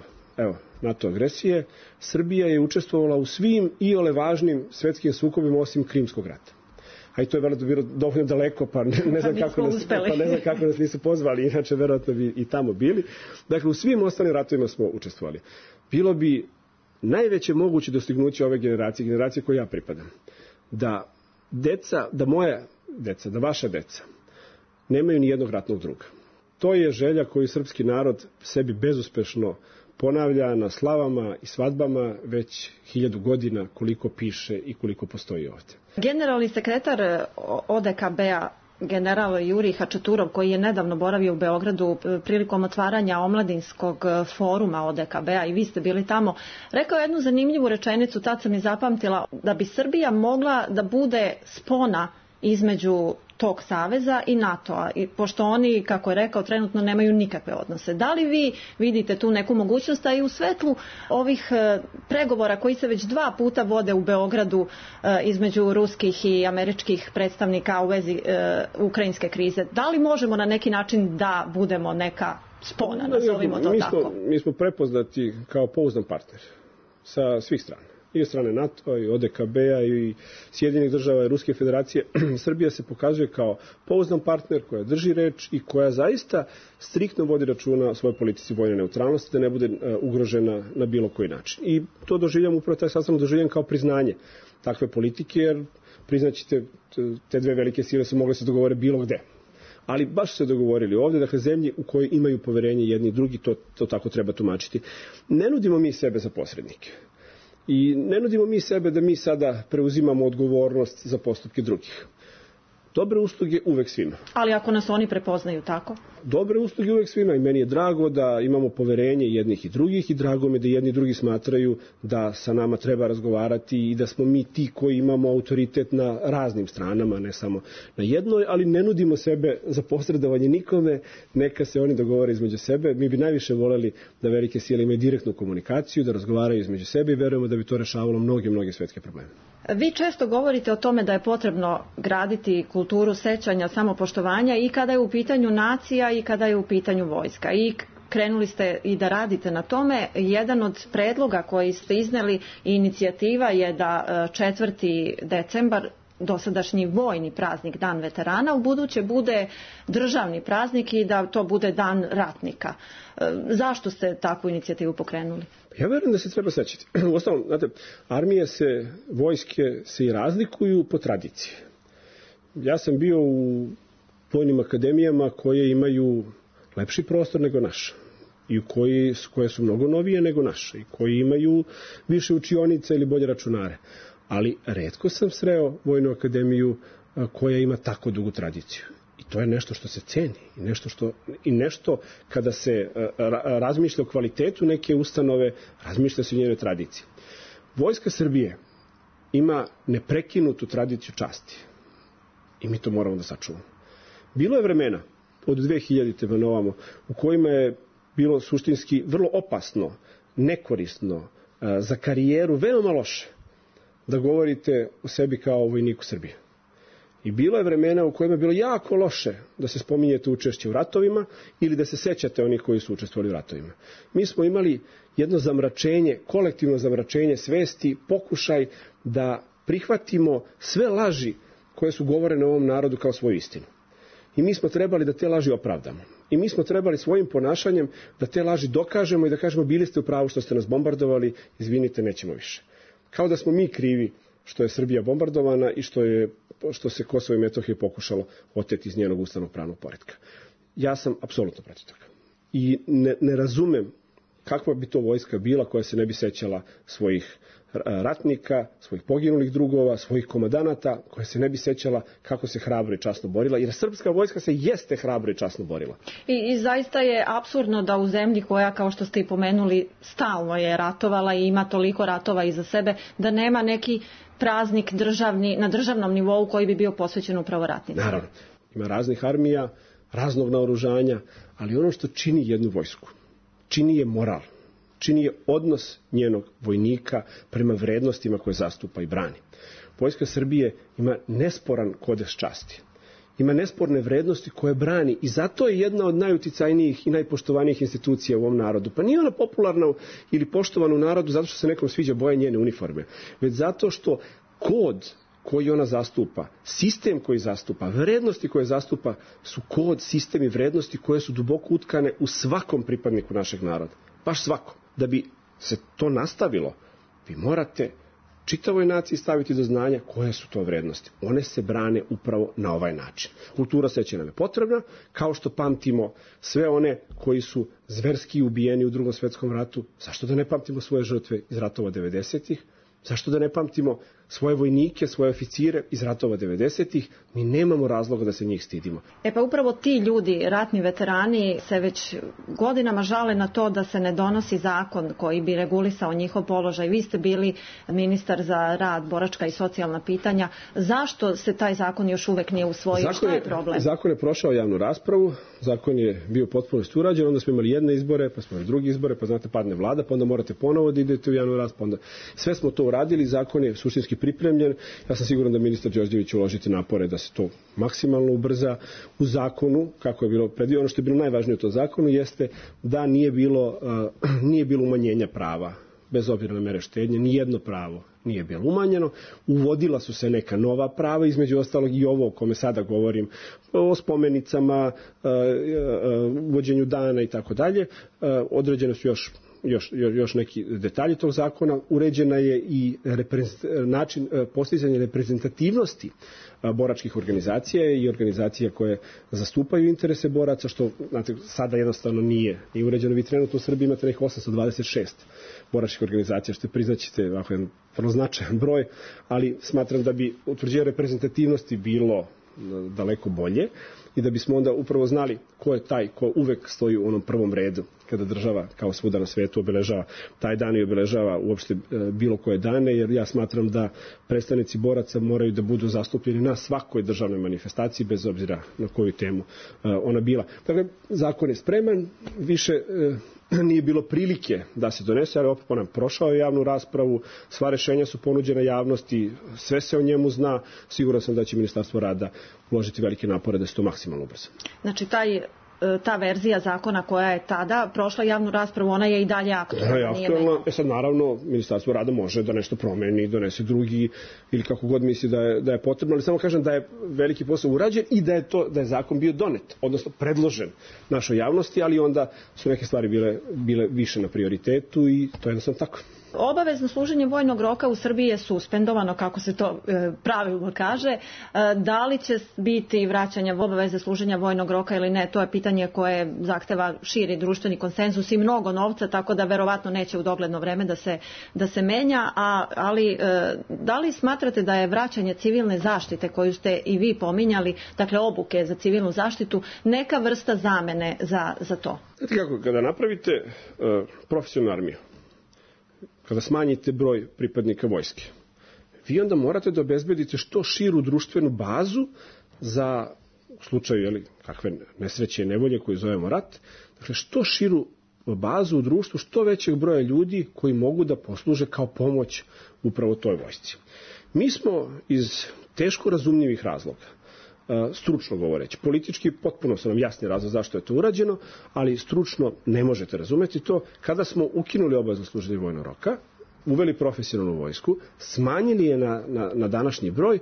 NATO agresije, Srbija je učestvovala u svim iole važnim svetskim sukobima osim Krimskog rata. A i to je verovatno bilo dovoljno daleko, pa ne znam kako nas nisu pozvali, inače verovatno bi i tamo bili. Dakle, u svim ostalim ratovima smo učestvovali. Bilo bi najveće moguće dostignuće ove generacije koje ja pripadam, da moja deca, da vaša deca nemaju ni jednog ratnog druga. To je želja koju srpski narod sebi bezuspešno ponavlja na slavama i svadbama već 1000 godina, koliko piše i koliko postoji ovdje. Generalni sekretar ODKB-a, general Jurij Hačaturov, koji je nedavno boravio u Beogradu prilikom otvaranja omladinskog foruma ODKB-a i vi ste bili tamo, rekao jednu zanimljivu rečenicu, tad sam i zapamtila, da bi Srbija mogla da bude spona između tog saveza i NATO-a, pošto oni, kako je rekao, trenutno nemaju nikakve odnose. Da li vi vidite tu neku mogućnost, a i u svetlu ovih pregovora koji se već 2 puta vode u Beogradu između ruskih i američkih predstavnika u vezi ukrajinske krize, da li možemo na neki način da budemo neka spona, nazovimo to tako? Mi smo prepoznati kao pouzdan partner sa svih strana. I od strane NATO, i ODKB-a, i Sjedinjenih država, i Ruske federacije. Srbija se pokazuje kao pouzdan partner koja drži reč i koja zaista striktno vodi računa o svojoj politici vojne neutralnosti, da ne bude ugrožena na bilo koji način. I to doživljam, upravo taj sastanak doživljam kao priznanje takve politike, jer priznaćete, te dve velike sile su mogle se dogovore bilo gde. Ali baš se dogovorili ovdje, dakle zemlji u kojoj imaju poverenje jedni i drugi, to tako treba tumačiti. Ne nudimo mi sebe za posrednike. I ne nudimo mi sebe da mi sada preuzimamo odgovornost za postupke drugih. Dobre usluge uvek svima. Ali ako nas oni prepoznaju tako? Dobre usluge uvek svima i meni je drago da imamo poverenje jednih i drugih i drago me da jedni i drugi smatraju da sa nama treba razgovarati i da smo mi ti koji imamo autoritet na raznim stranama, ne samo na jednoj, ali ne nudimo sebe za posredovanje nikome, neka se oni dogovore između sebe. Mi bi najviše voleli da velike sile imaju direktnu komunikaciju, da razgovaraju između sebe i verujemo da bi to rešavalo mnoge svetske probleme. Vi često govorite o tome da je potrebno graditi kulturu sećanja, samopoštovanja i kada je u pitanju nacija i kada je u pitanju vojska. I krenuli ste i da radite na tome. Jedan od predloga koji ste izneli i inicijativa je da 4. decembar, dosadašnji vojni praznik, Dan veterana, u buduće bude državni praznik i da to bude Dan ratnika. Zašto ste takvu inicijativu pokrenuli? Ja verujem da se treba sećati. Uostalom, znate, vojske se i razlikuju po tradiciji. Ja sam bio u vojnim akademijama koje imaju lepši prostor nego naša i koje su mnogo novije nego naše i koji imaju više učionica ili bolje računare. Ali retko sam sreo vojnu akademiju koja ima tako dugu tradiciju. I to je nešto što se ceni i nešto kada se razmišlja o kvalitetu neke ustanove, razmišlja se o njenoj tradiciji. Vojska Srbije ima neprekinutu tradiciju časti i mi to moramo da sačuvamo. Bilo je vremena od 2000. na ovamo u kojima je bilo suštinski vrlo opasno, nekorisno, za karijeru veoma loše da govorite o sebi kao o vojniku Srbije. I bilo je vremena u kojima je bilo jako loše da se spominjete učešće u ratovima ili da se sećate onih koji su učestvovali u ratovima. Mi smo imali jedno zamračenje, kolektivno zamračenje svesti, pokušaj da prihvatimo sve laži koje su govorene ovom narodu kao svoju istinu. I mi smo trebali da te laži opravdamo. I mi smo trebali svojim ponašanjem da te laži dokažemo i da kažemo bili ste u pravu što ste nas bombardovali, izvinite, nećemo više. Kao da smo mi krivi što je Srbija bombardovana i što se Kosovo i Metohije pokušalo oteti iz njenog ustavnog pravnog poretka. Ja sam apsolutno protiv toga. I ne razumem kakva bi to vojska bila koja se ne bi sećala svojih ratnika, svojih poginulih drugova, svojih komandanata, koja se ne bi sećala kako se hrabro i časno borila, jer srpska vojska se jeste hrabro i časno borila. I zaista je apsurdno da u zemlji koja, kao što ste i pomenuli, stalno je ratovala i ima toliko ratova iza sebe, da nema neki praznik državni, na državnom nivou koji bi bio posvećen upravo ratnicima. Naravno, ima raznih armija, raznog naoružanja, ali ono što čini jednu vojsku, čini je moral, čini je odnos njenog vojnika prema vrednostima koje zastupa i brani. Vojska Srbije ima nesporan kodeks časti. Ima nesporne vrednosti koje brani i zato je jedna od najuticajnijih i najpoštovanijih institucija u ovom narodu. Pa nije ona popularna ili poštovana u narodu zato što se nekom sviđa boja njene uniforme, već zato što kod koji ona zastupa, sistem koji zastupa, vrednosti koje zastupa su kod, sistem i vrednosti koje su duboko utkane u svakom pripadniku našeg naroda. Baš svakom. Da bi se to nastavilo, vi morate čitavoj naciji staviti do znanja koje su to vrednosti. One se brane upravo na ovaj način. Kultura sećanja nam je potrebna, kao što pamtimo sve one koji su zverski ubijeni u Drugom svetskom ratu. Zašto da ne pamtimo svoje žrtve iz ratova 90-ih? Zašto da ne pamtimo svoje vojnike, svoje oficire iz ratova 90-ih? Mi nemamo razloga da se njih stidimo. Pa upravo ti ljudi, ratni veterani, se već godinama žale na to da se ne donosi zakon koji bi regulisao njihov položaj. Vi ste bili ministar za rad, boračka i socijalna pitanja. Zašto se taj zakon još uvek nije usvojio? Šta je problem? Zakon je prošao javnu raspravu, zakon je bio potpuno urađen, onda smo imali jedne izbore, pa smo imali drugi izbore, pa znate padne vlada, pa onda morate ponovo da idete u javnu raspravu. Onda sve smo to uradili, zakon je suštinski pripremljen. Ja sam siguran da ministar Đorđević će uložiti napore da se to maksimalno ubrza. U zakonu, kako je bilo predviđeno, ono što je bilo najvažnije u tom zakonu jeste da nije bilo umanjenja prava, bez obzira na mere štednje, nijedno pravo nije bilo umanjeno. Uvodila su se neka nova prava, između ostalog i ovo o kome sada govorim, o spomenicama, uvođenju dana i tako dalje. Određene su još neki detalji tog zakona. Uređena je i način postizanja reprezentativnosti boračkih organizacija i organizacija koje zastupaju interese boraca, što znate, sada jednostavno nije uređeno. Vi trenutno u Srbiji imate nekih 826 boračkih organizacija, što je, priznaćete, jedan vrlo značajan broj, ali smatram da bi utvrđenje reprezentativnosti bilo daleko bolje i da bismo onda upravo znali ko je taj ko uvek stoji u onom prvom redu kada država kao svuda na svetu obeležava taj dan i obeležava uopšte bilo koje dane, jer ja smatram da predstavnici boraca moraju da budu zastupljeni na svakoj državnoj manifestaciji bez obzira na koju temu ona bila. Dakle, zakon je spreman, više nije bilo prilike da se donese, ali opet ponavljam, prošao je javnu raspravu, sva rešenja su ponuđena javnosti, sve se o njemu zna, siguran sam da će Ministarstvo rada uložiti velike napore da se to maksimalno ubrza. Znači, ta verzija zakona koja je tada prošla javnu raspravu, ona je i dalje aktualna. Sad naravno Ministarstvo rada može da nešto promeni, donese drugi ili kako god misli da je potrebno, ali samo kažem da je veliki posao urađen i da je zakon bio donet, odnosno predložen našoj javnosti, ali onda su neke stvari bile više na prioritetu i to je jednostavno tako. Obavezno služenje vojnog roka u Srbiji je suspendovano, kako se to pravilno kaže. Da li će biti vraćanja obaveze služenja vojnog roka ili ne, to je pitanje koje zahteva širi društveni konsenzus i mnogo novca, tako da verovatno neće u dogledno vreme da se menja, ali da li smatrate da je vraćanje civilne zaštite koju ste i vi pominjali, dakle obuke za civilnu zaštitu, neka vrsta zamene za to? Znate kako, kada napravite profesionalnu armiju, kada smanjite broj pripadnika vojske, vi onda morate da obezbedite što širu društvenu bazu za, u slučaju kakve nesreće i nevolje koju zovemo rat, dakle što širu bazu u društvu, što većeg broja ljudi koji mogu da posluže kao pomoć upravo toj vojsci. Mi smo iz teško razumljivih razloga, stručno govoreći. Politički potpuno su nam jasni razlog zašto je to urađeno, ali stručno ne možete razumeti to. Kada smo ukinuli obavezno služenje vojnog roka, uveli profesionalnu vojsku, smanjili je na današnji broj,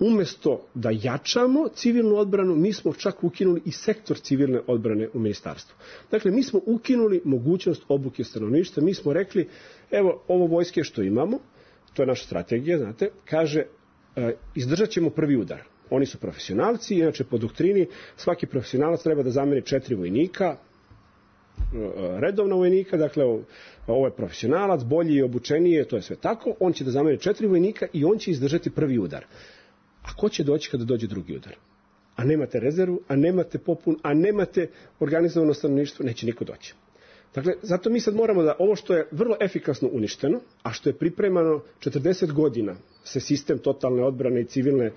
umesto da jačamo civilnu odbranu, mi smo čak ukinuli i sektor civilne odbrane u ministarstvu. Dakle, mi smo ukinuli mogućnost obuke stanovništva, mi smo rekli, evo, ovo vojske što imamo, to je naša strategija, znate, kaže, izdržat ćemo prvi udar. Oni su profesionalci, inače po doktrini svaki profesionalac treba da zameni 4 vojnika, redovna vojnika, dakle ovo je profesionalac, bolji i obučeniji, to je sve tako, on će da zameni 4 vojnika i on će izdržati prvi udar. A ko će doći kada dođe drugi udar? A nemate rezervu, a nemate popun, a nemate organizovano stanovništvo, neće niko doći. Dakle, zato mi sad moramo da ovo što je vrlo efikasno uništeno, a što je pripremano 40 godina, se sistem totalne odbrane i civilne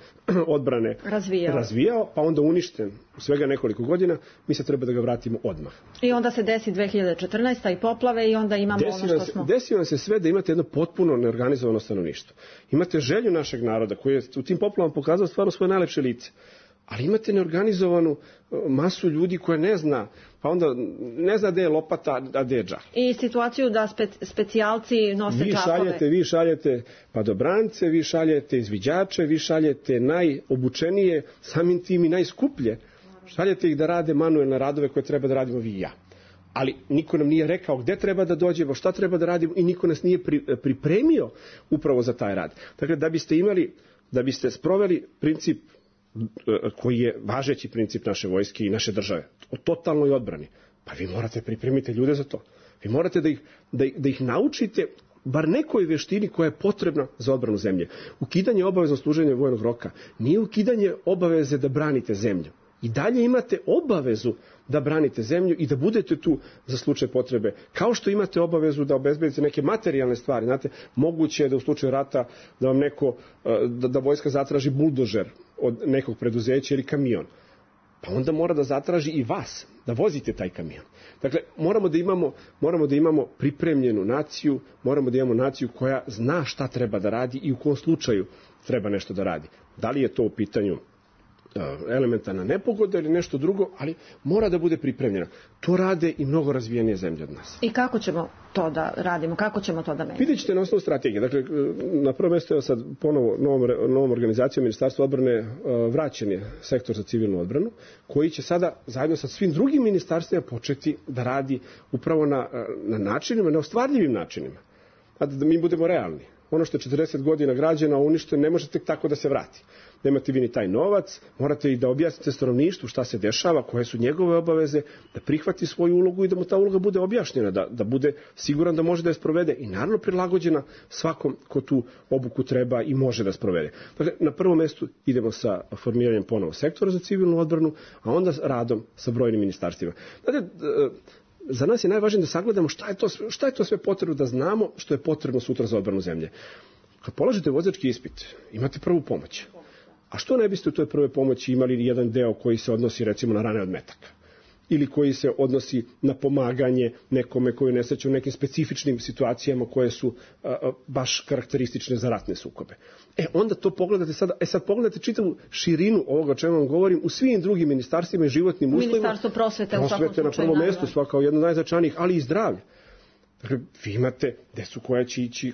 odbrane razvijao, pa onda uništen u svega nekoliko godina, mi se treba da ga vratimo odmah. I onda se desi 2014. i poplave i onda imamo ono što smo... Desi vam se sve da imate jedno potpuno neorganizovano stanovništvo. Imate želju našeg naroda koji je u tim poplavama pokazao stvarno svoje najlepše lice. Ali imate neorganizovanu masu ljudi koja ne zna, pa onda ne zna gde je lopata, a gde je džak. I situaciju da specijalci nose čapove. Vi šaljete padobrance, vi šaljete izviđače, vi šaljete najobučenije, samim tim i najskuplje. Šaljete ih da rade manuelne radove koje treba da radimo vi i ja. Ali niko nam nije rekao gde treba da dođemo, šta treba da radimo i niko nas nije pripremio upravo za taj rad. Dakle, da biste sproveli princip koji je važeći princip naše vojske i naše države, o totalnoj odbrani, pa vi morate pripremiti ljude za to. Vi morate da ih naučite bar nekoj veštini koja je potrebna za odbranu zemlje. Ukidanje obaveznog služenja vojnog roka nije ukidanje obaveze da branite zemlju. I dalje imate obavezu da branite zemlju i da budete tu za slučaj potrebe. Kao što imate obavezu da obezbedite neke materijalne stvari. Znate, moguće je da u slučaju rata da vam da vojska zatraži buldožer od nekog preduzeća ili kamion. Pa onda mora da zatraži i vas, da vozite taj kamion. Dakle, moramo da imamo pripremljenu naciju, moramo da imamo naciju koja zna šta treba da radi i u kom slučaju treba nešto da radi. Da li je to u pitanju elementarna nepogoda ili nešto drugo, ali mora da bude pripremljena. To rade i mnogo razvijenije zemlje od nas. I kako ćemo to da radimo? Kako ćemo to da menjamo? Vidjet ćete na osnovu strategije. Dakle, na prvo mjesto je sad ponovo novom organizacijom Ministarstva odbrane vraćen je sektor za civilnu odbranu, koji će sada zajedno sa svim drugim ministarstvima početi da radi upravo na načinima, na ostvarljivim načinima. Da mi budemo realni. Ono što je 40 godina građana uništeno ne može tek tako da se vrati. Nemate vi ni taj novac, morate i da objasnite stanovništvu šta se dešava, koje su njegove obaveze, da prihvati svoju ulogu i da mu ta uloga bude objašnjena, da bude siguran da može da je sprovede i naravno prilagođena svakom ko tu obuku treba i može da sprovede. Dakle, na prvom mjestu idemo sa formiranjem ponovo sektora za civilnu odbranu, a onda radom sa brojnim ministarstvima. Dakle, za nas je najvažnije da sagledamo šta je to sve potrebno da znamo što je potrebno sutra za odbranu zemlje. Kad polažete vozački ispit, imate prvu pomoć. A što ne biste u toj prve pomoći imali jedan deo koji se odnosi recimo na rane od metaka? Ili koji se odnosi na pomaganje nekome koji je nesrećan u nekim specifičnim situacijama koje su baš karakteristične za ratne sukobe. Onda to pogledate sada, sad pogledate čitavu širinu ovoga o čemu vam govorim u svim drugim ministarstvima i životnim uslovima. Ministarstvo prosvete u svakom slučaju. Na prvom mjestu, svaka jedna od najznačajnijih, ali i zdravlje. Dakle, vi imate decu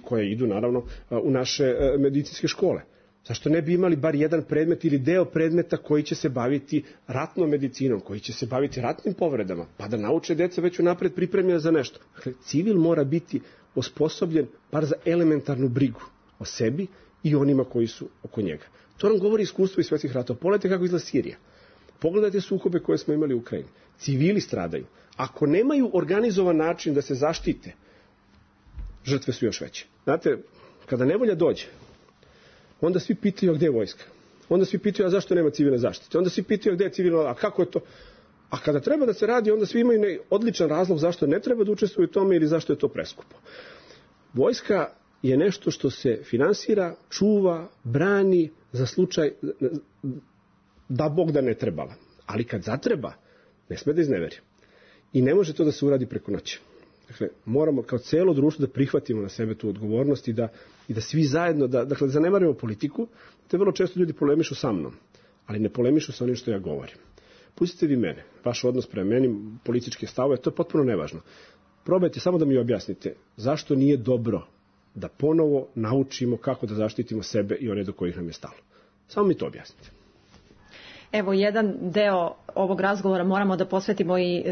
koja idu naravno u naše medicinske škole. Zašto ne bi imali bar jedan predmet ili deo predmeta koji će se baviti ratnom medicinom, koji će se baviti ratnim povredama, pa da nauče deca već unapred pripremljena za nešto. Dakle, civil mora biti osposobljen bar za elementarnu brigu o sebi i onima koji su oko njega. To nam govori iskustvo iz svetskih ratova. Pogledajte kako izgleda Sirija. Pogledajte sukobe koje smo imali u Ukrajini. Civili stradaju. Ako nemaju organizovan način da se zaštite, žrtve su još veće. Znate, kada nevolja dođe, onda svi pitaju gdje je vojska. Onda svi pitaju a zašto nema civilne zaštite. Onda svi pitaju gdje je civilna, a kako je to? A kada treba da se radi, onda svi imaju odličan razlog zašto ne treba da učestvuju u tome ili zašto je to preskupo. Vojska je nešto što se finansira, čuva, brani za slučaj da Bog da ne trebala. Ali kad zatreba, ne sme da izneveri. I ne može to da se uradi preko noći. Dakle, moramo kao cijelo društvo da prihvatimo na sebe tu odgovornost i da i da svi zajedno, dakle, da zanemarimo politiku, te vrlo često ljudi polemišu sa mnom, ali ne polemišu sa onim što ja govorim. Pustite vi mene, vaš odnos prema meni, političke stavove, to je potpuno nevažno. Probajte samo da mi objasnite zašto nije dobro da ponovo naučimo kako da zaštitimo sebe i one do kojih nam je stalo. Samo mi to objasnite. Evo, jedan deo ovog razgovora moramo da posvetimo i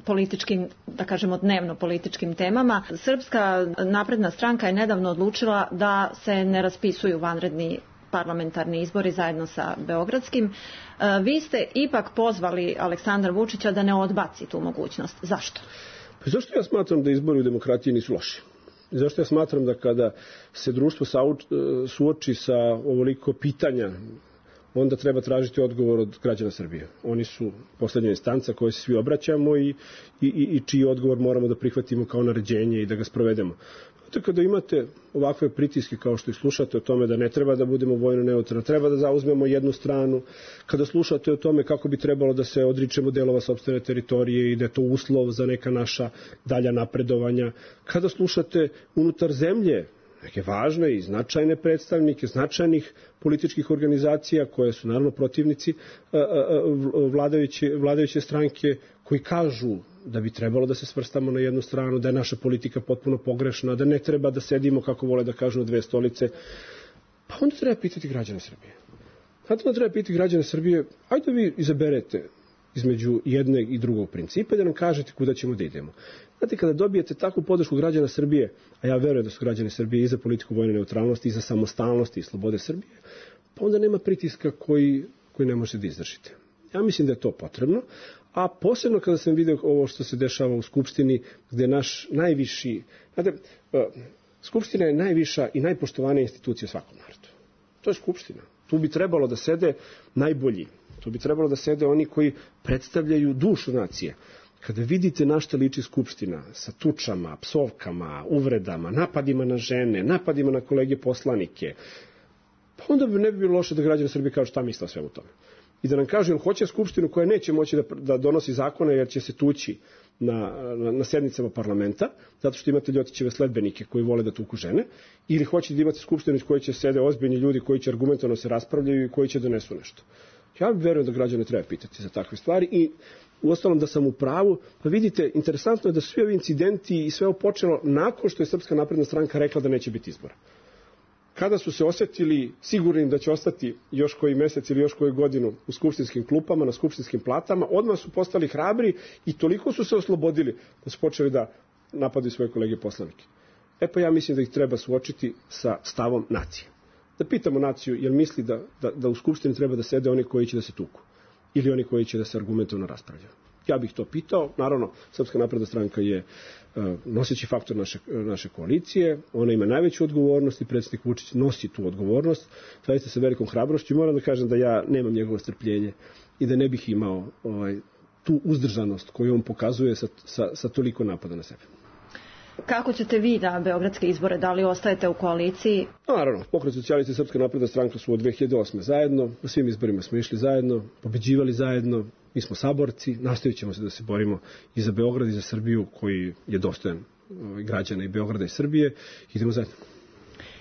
političkim, da kažemo dnevno političkim temama. Srpska napredna stranka je nedavno odlučila da se ne raspisuju vanredni parlamentarni izbori zajedno sa beogradskim. Vi ste ipak pozvali Aleksandra Vučića da ne odbaci tu mogućnost. Zašto? Pa zašto ja smatram da izbori u demokratiji nisu loši? Zašto ja smatram da kada se društvo suoči sa ovoliko pitanja, onda treba tražiti odgovor od građana Srbije. Oni su poslednja instanca koje se svi obraćamo i čiji odgovor moramo da prihvatimo kao naređenje i da ga sprovedemo. Kada imate ovakve pritiske kao što i slušate o tome da ne treba da budemo vojno neutralni, treba da zauzmemo jednu stranu, kada slušate o tome kako bi trebalo da se odričemo delova sopstvene teritorije i da je to uslov za neka naša dalja napredovanja, kada slušate unutar zemlje neke važne i značajne predstavnike značajnih političkih organizacija koje su naravno protivnici vladajuće stranke, koji kažu da bi trebalo da se svrstamo na jednu stranu, da je naša politika potpuno pogrešna, da ne treba da sedimo, kako vole da kažu, na dve stolice. Pa onda treba pitati građane Srbije. Onda treba pitati građane Srbije, ajde vi izaberete između jednog i drugog principa i da nam kažete kuda ćemo da idemo. Znate, kada dobijete takvu podršku građana Srbije, a ja verujem da su građani Srbije i za politiku vojne neutralnosti, i za samostalnost i slobode Srbije, pa onda nema pritiska koji ne možete da izdržite. Ja mislim da je to potrebno, a posebno kada sam vidio ovo što se dešava u Skupštini, gde naš najviši, znate, Skupština je najviša i najpoštovanija institucija svakom narodu. To je Skupština. Tu bi trebalo da sede najbolji. Tu bi trebalo da sede oni koji predstavljaju dušu nacije. Kada vidite na šta liči Skupština sa tučama, psovkama, uvredama, napadima na žene, napadima na kolege poslanike, pa onda ne bi bilo loše da građani Srbije kažu šta misle o svemu tome. I da nam kažu, jel hoće Skupštinu koja neće moći da donosi zakone jer će se tući na sednicama parlamenta, zato što imate Ljotićeve sledbenike koji vole da tuku žene, ili hoće da imate Skupštinu iz koje će sede ozbiljni ljudi koji će argumentovano se raspravljaju i koji će donesu nešto. Ja verujem da građane treba pitati za takve stvari i uostalom da sam u pravu. Pa vidite, interesantno je da svi ovi incidenti i sve ovo počelo nakon što je Srpska napredna stranka rekla da neće biti izbora. Kada su se osjetili sigurnim da će ostati još koji mesec ili još koju godinu u skupštinskim klupama, na skupštinskim platama, odmah su postali hrabri i toliko su se oslobodili da su počeli da napadaju svoje kolege poslanike. Pa ja mislim da ih treba suočiti sa stavom nacije. Da pitamo naciju, jel misli da u Skupštini treba da sede oni koji će da se tuku ili oni koji će da se argumentovno raspravljaju. Ja bih to pitao. Naravno, Srpska napredna stranka je noseći faktor naše koalicije, ona ima najveću odgovornost i predsjednik Vučić nosi tu odgovornost, zaista sa velikom hrabrošću i moram da kažem da ja nemam njegovo strpljenje i da ne bih imao tu uzdržanost koju on pokazuje sa toliko napada na sebe. Kako ćete vi na beogradske izbore? Da li ostajete u koaliciji? Naravno, Pokret socijalista i Srpska napredna stranka su od 2008. zajedno, na svim izborima smo išli zajedno, pobeđivali zajedno, mi smo saborci, nastavit ćemo se da se borimo i za Beograd i za Srbiju koji je dostojan građana i Beograda i Srbije. Idemo zajedno.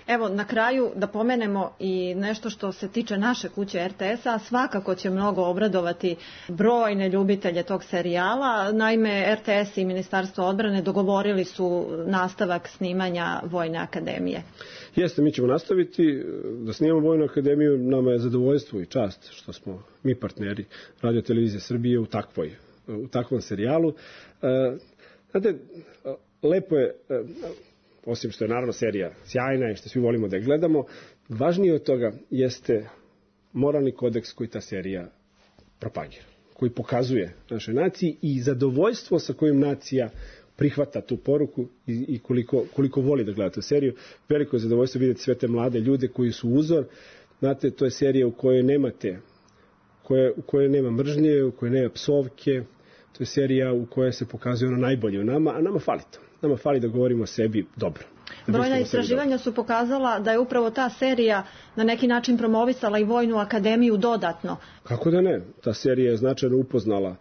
Evo, na kraju da pomenemo i nešto što se tiče naše kuće RTS-a, svakako će mnogo obradovati brojne ljubitelje tog serijala. Naime, RTS i Ministarstvo odbrane dogovorili su nastavak snimanja Vojne akademije. Jeste, mi ćemo nastaviti da snimamo Vojnu akademiju. Nama je zadovoljstvo i čast što smo mi partneri Radio televizije Srbije u takvom serijalu. Znate, lepo je, osim što je naravno serija sjajna i što svi volimo da je gledamo, važnije od toga jeste moralni kodeks koji ta serija propagira, koji pokazuje našoj naciji i zadovoljstvo sa kojim nacija prihvata tu poruku i koliko voli da gleda tu seriju. Veliko je zadovoljstvo vidjeti sve te mlade ljude koji su uzor. Znate, to je serija u kojoj nema mržnje, u kojoj nema psovke. To je serija u kojoj se pokazuje ono najbolje u nama, a nama fali to. Nama fali da govorimo o sebi dobro. Brojna istraživanja su pokazala da je upravo ta serija na neki način promovisala i Vojnu akademiju dodatno. Kako da ne? Ta serija je značajno upoznala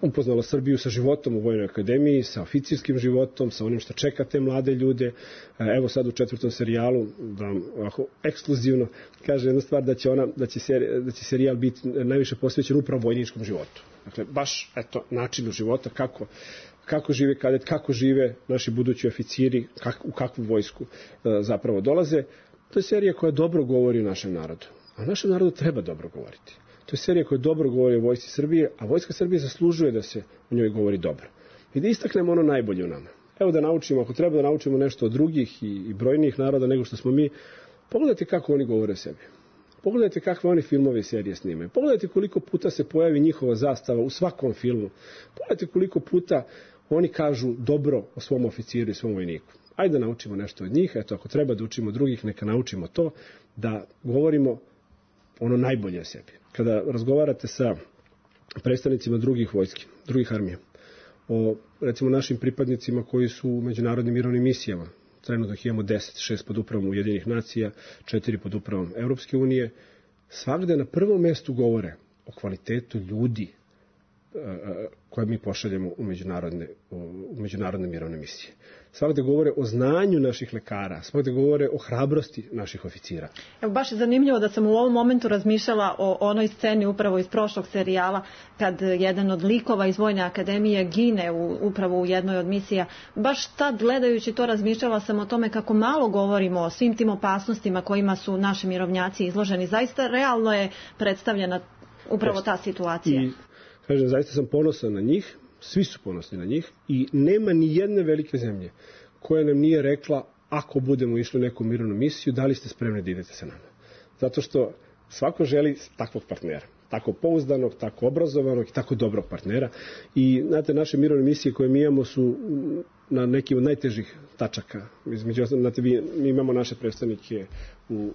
upoznala Srbiju sa životom u Vojnoj akademiji, sa oficirskim životom, sa onim što čeka te mlade ljude. Evo sad u 4. serijalu, da vam ovako ekskluzivno kaže jedna stvar, da će serijal biti najviše posvećen upravo vojničkom životu. Dakle, baš načinu života, kako žive kadet, kako žive naši budući oficiri, u kakvu vojsku zapravo dolaze. To je serija koja dobro govori o našem narodu. A našem narodu treba dobro govoriti. To je serija koja dobro govori o vojsci Srbije, a vojska Srbije zaslužuje da se o njoj govori dobro. I da istaknemo ono najbolje u nama. Evo da naučimo, ako treba da naučimo nešto od drugih i brojnijih naroda nego što smo mi, pogledajte kako oni govore o sebi. Pogledajte kakve oni filmove i serije snimaju. Pogledajte koliko puta se pojavi njihova zastava u svakom filmu. Pogledajte koliko puta oni kažu dobro o svom oficiru i svom vojniku. Ajde da naučimo nešto od njih, eto ako treba da učimo drugih, neka naučimo to, da govorimo ono najbolje o sebi. Kada razgovarate sa predstavnicima drugih vojski, drugih armija, o recimo našim pripadnicima koji su u međunarodnim mirovnim misijama, trenutno imamo 10, 6 pod upravom Ujedinjenih nacija, 4 pod upravom Evropske unije, svagde na prvom mestu govore o kvalitetu ljudi koje mi pošaljemo u međunarodne mirovne misije. Svakde govore o znanju naših lekara, svakde govore o hrabrosti naših oficira. Evo, baš je zanimljivo da sam u ovom momentu razmišljala o onoj sceni upravo iz prošlog serijala, kad jedan od likova iz Vojne akademije gine upravo u jednoj od misija. Baš tad gledajući to razmišljala sam o tome kako malo govorimo o svim tim opasnostima kojima su naši mirovnjaci izloženi. Zaista realno je predstavljena upravo ta situacija. I kažem, zaista sam ponosan na njih, svi su ponosni na njih i nema ni jedne velike zemlje koja nam nije rekla ako budemo išli u neku mirovnu misiju, da li ste spremni da idete sa nama. Zato što svako želi takvog partnera, tako pouzdanog, tako obrazovanog i tako dobrog partnera. I znate, naše mirovne misije koje mi imamo su na nekim od najtežih tačaka. Između ostalog, znate, mi imamo naše predstavnike u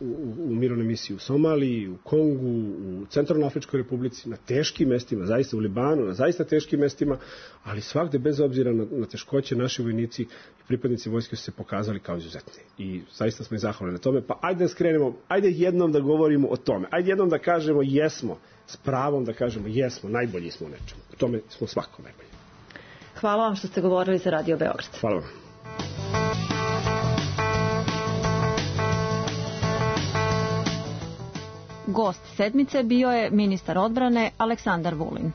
mirovnoj misiji u Somaliji, u Kongu, u Centralnoafričkoj republici, na teškim mestima, zaista u Libanu, na zaista teškim mestima, ali svakde bez obzira na teškoće naši vojnici i pripadnici vojske su se pokazali kao izuzetni. I zaista smo i zahvalni na tome. Pa ajde da skrenemo, ajde jednom da govorimo o tome. Ajde jednom da kažemo jesmo, s pravom da kažemo jesmo, najbolji smo u nečemu. U tome smo svako najbolji. Hvala vam što ste govorili za Radio Beograd. Hvala vam. Gost sedmice bio je ministar odbrane Aleksandar Vulin.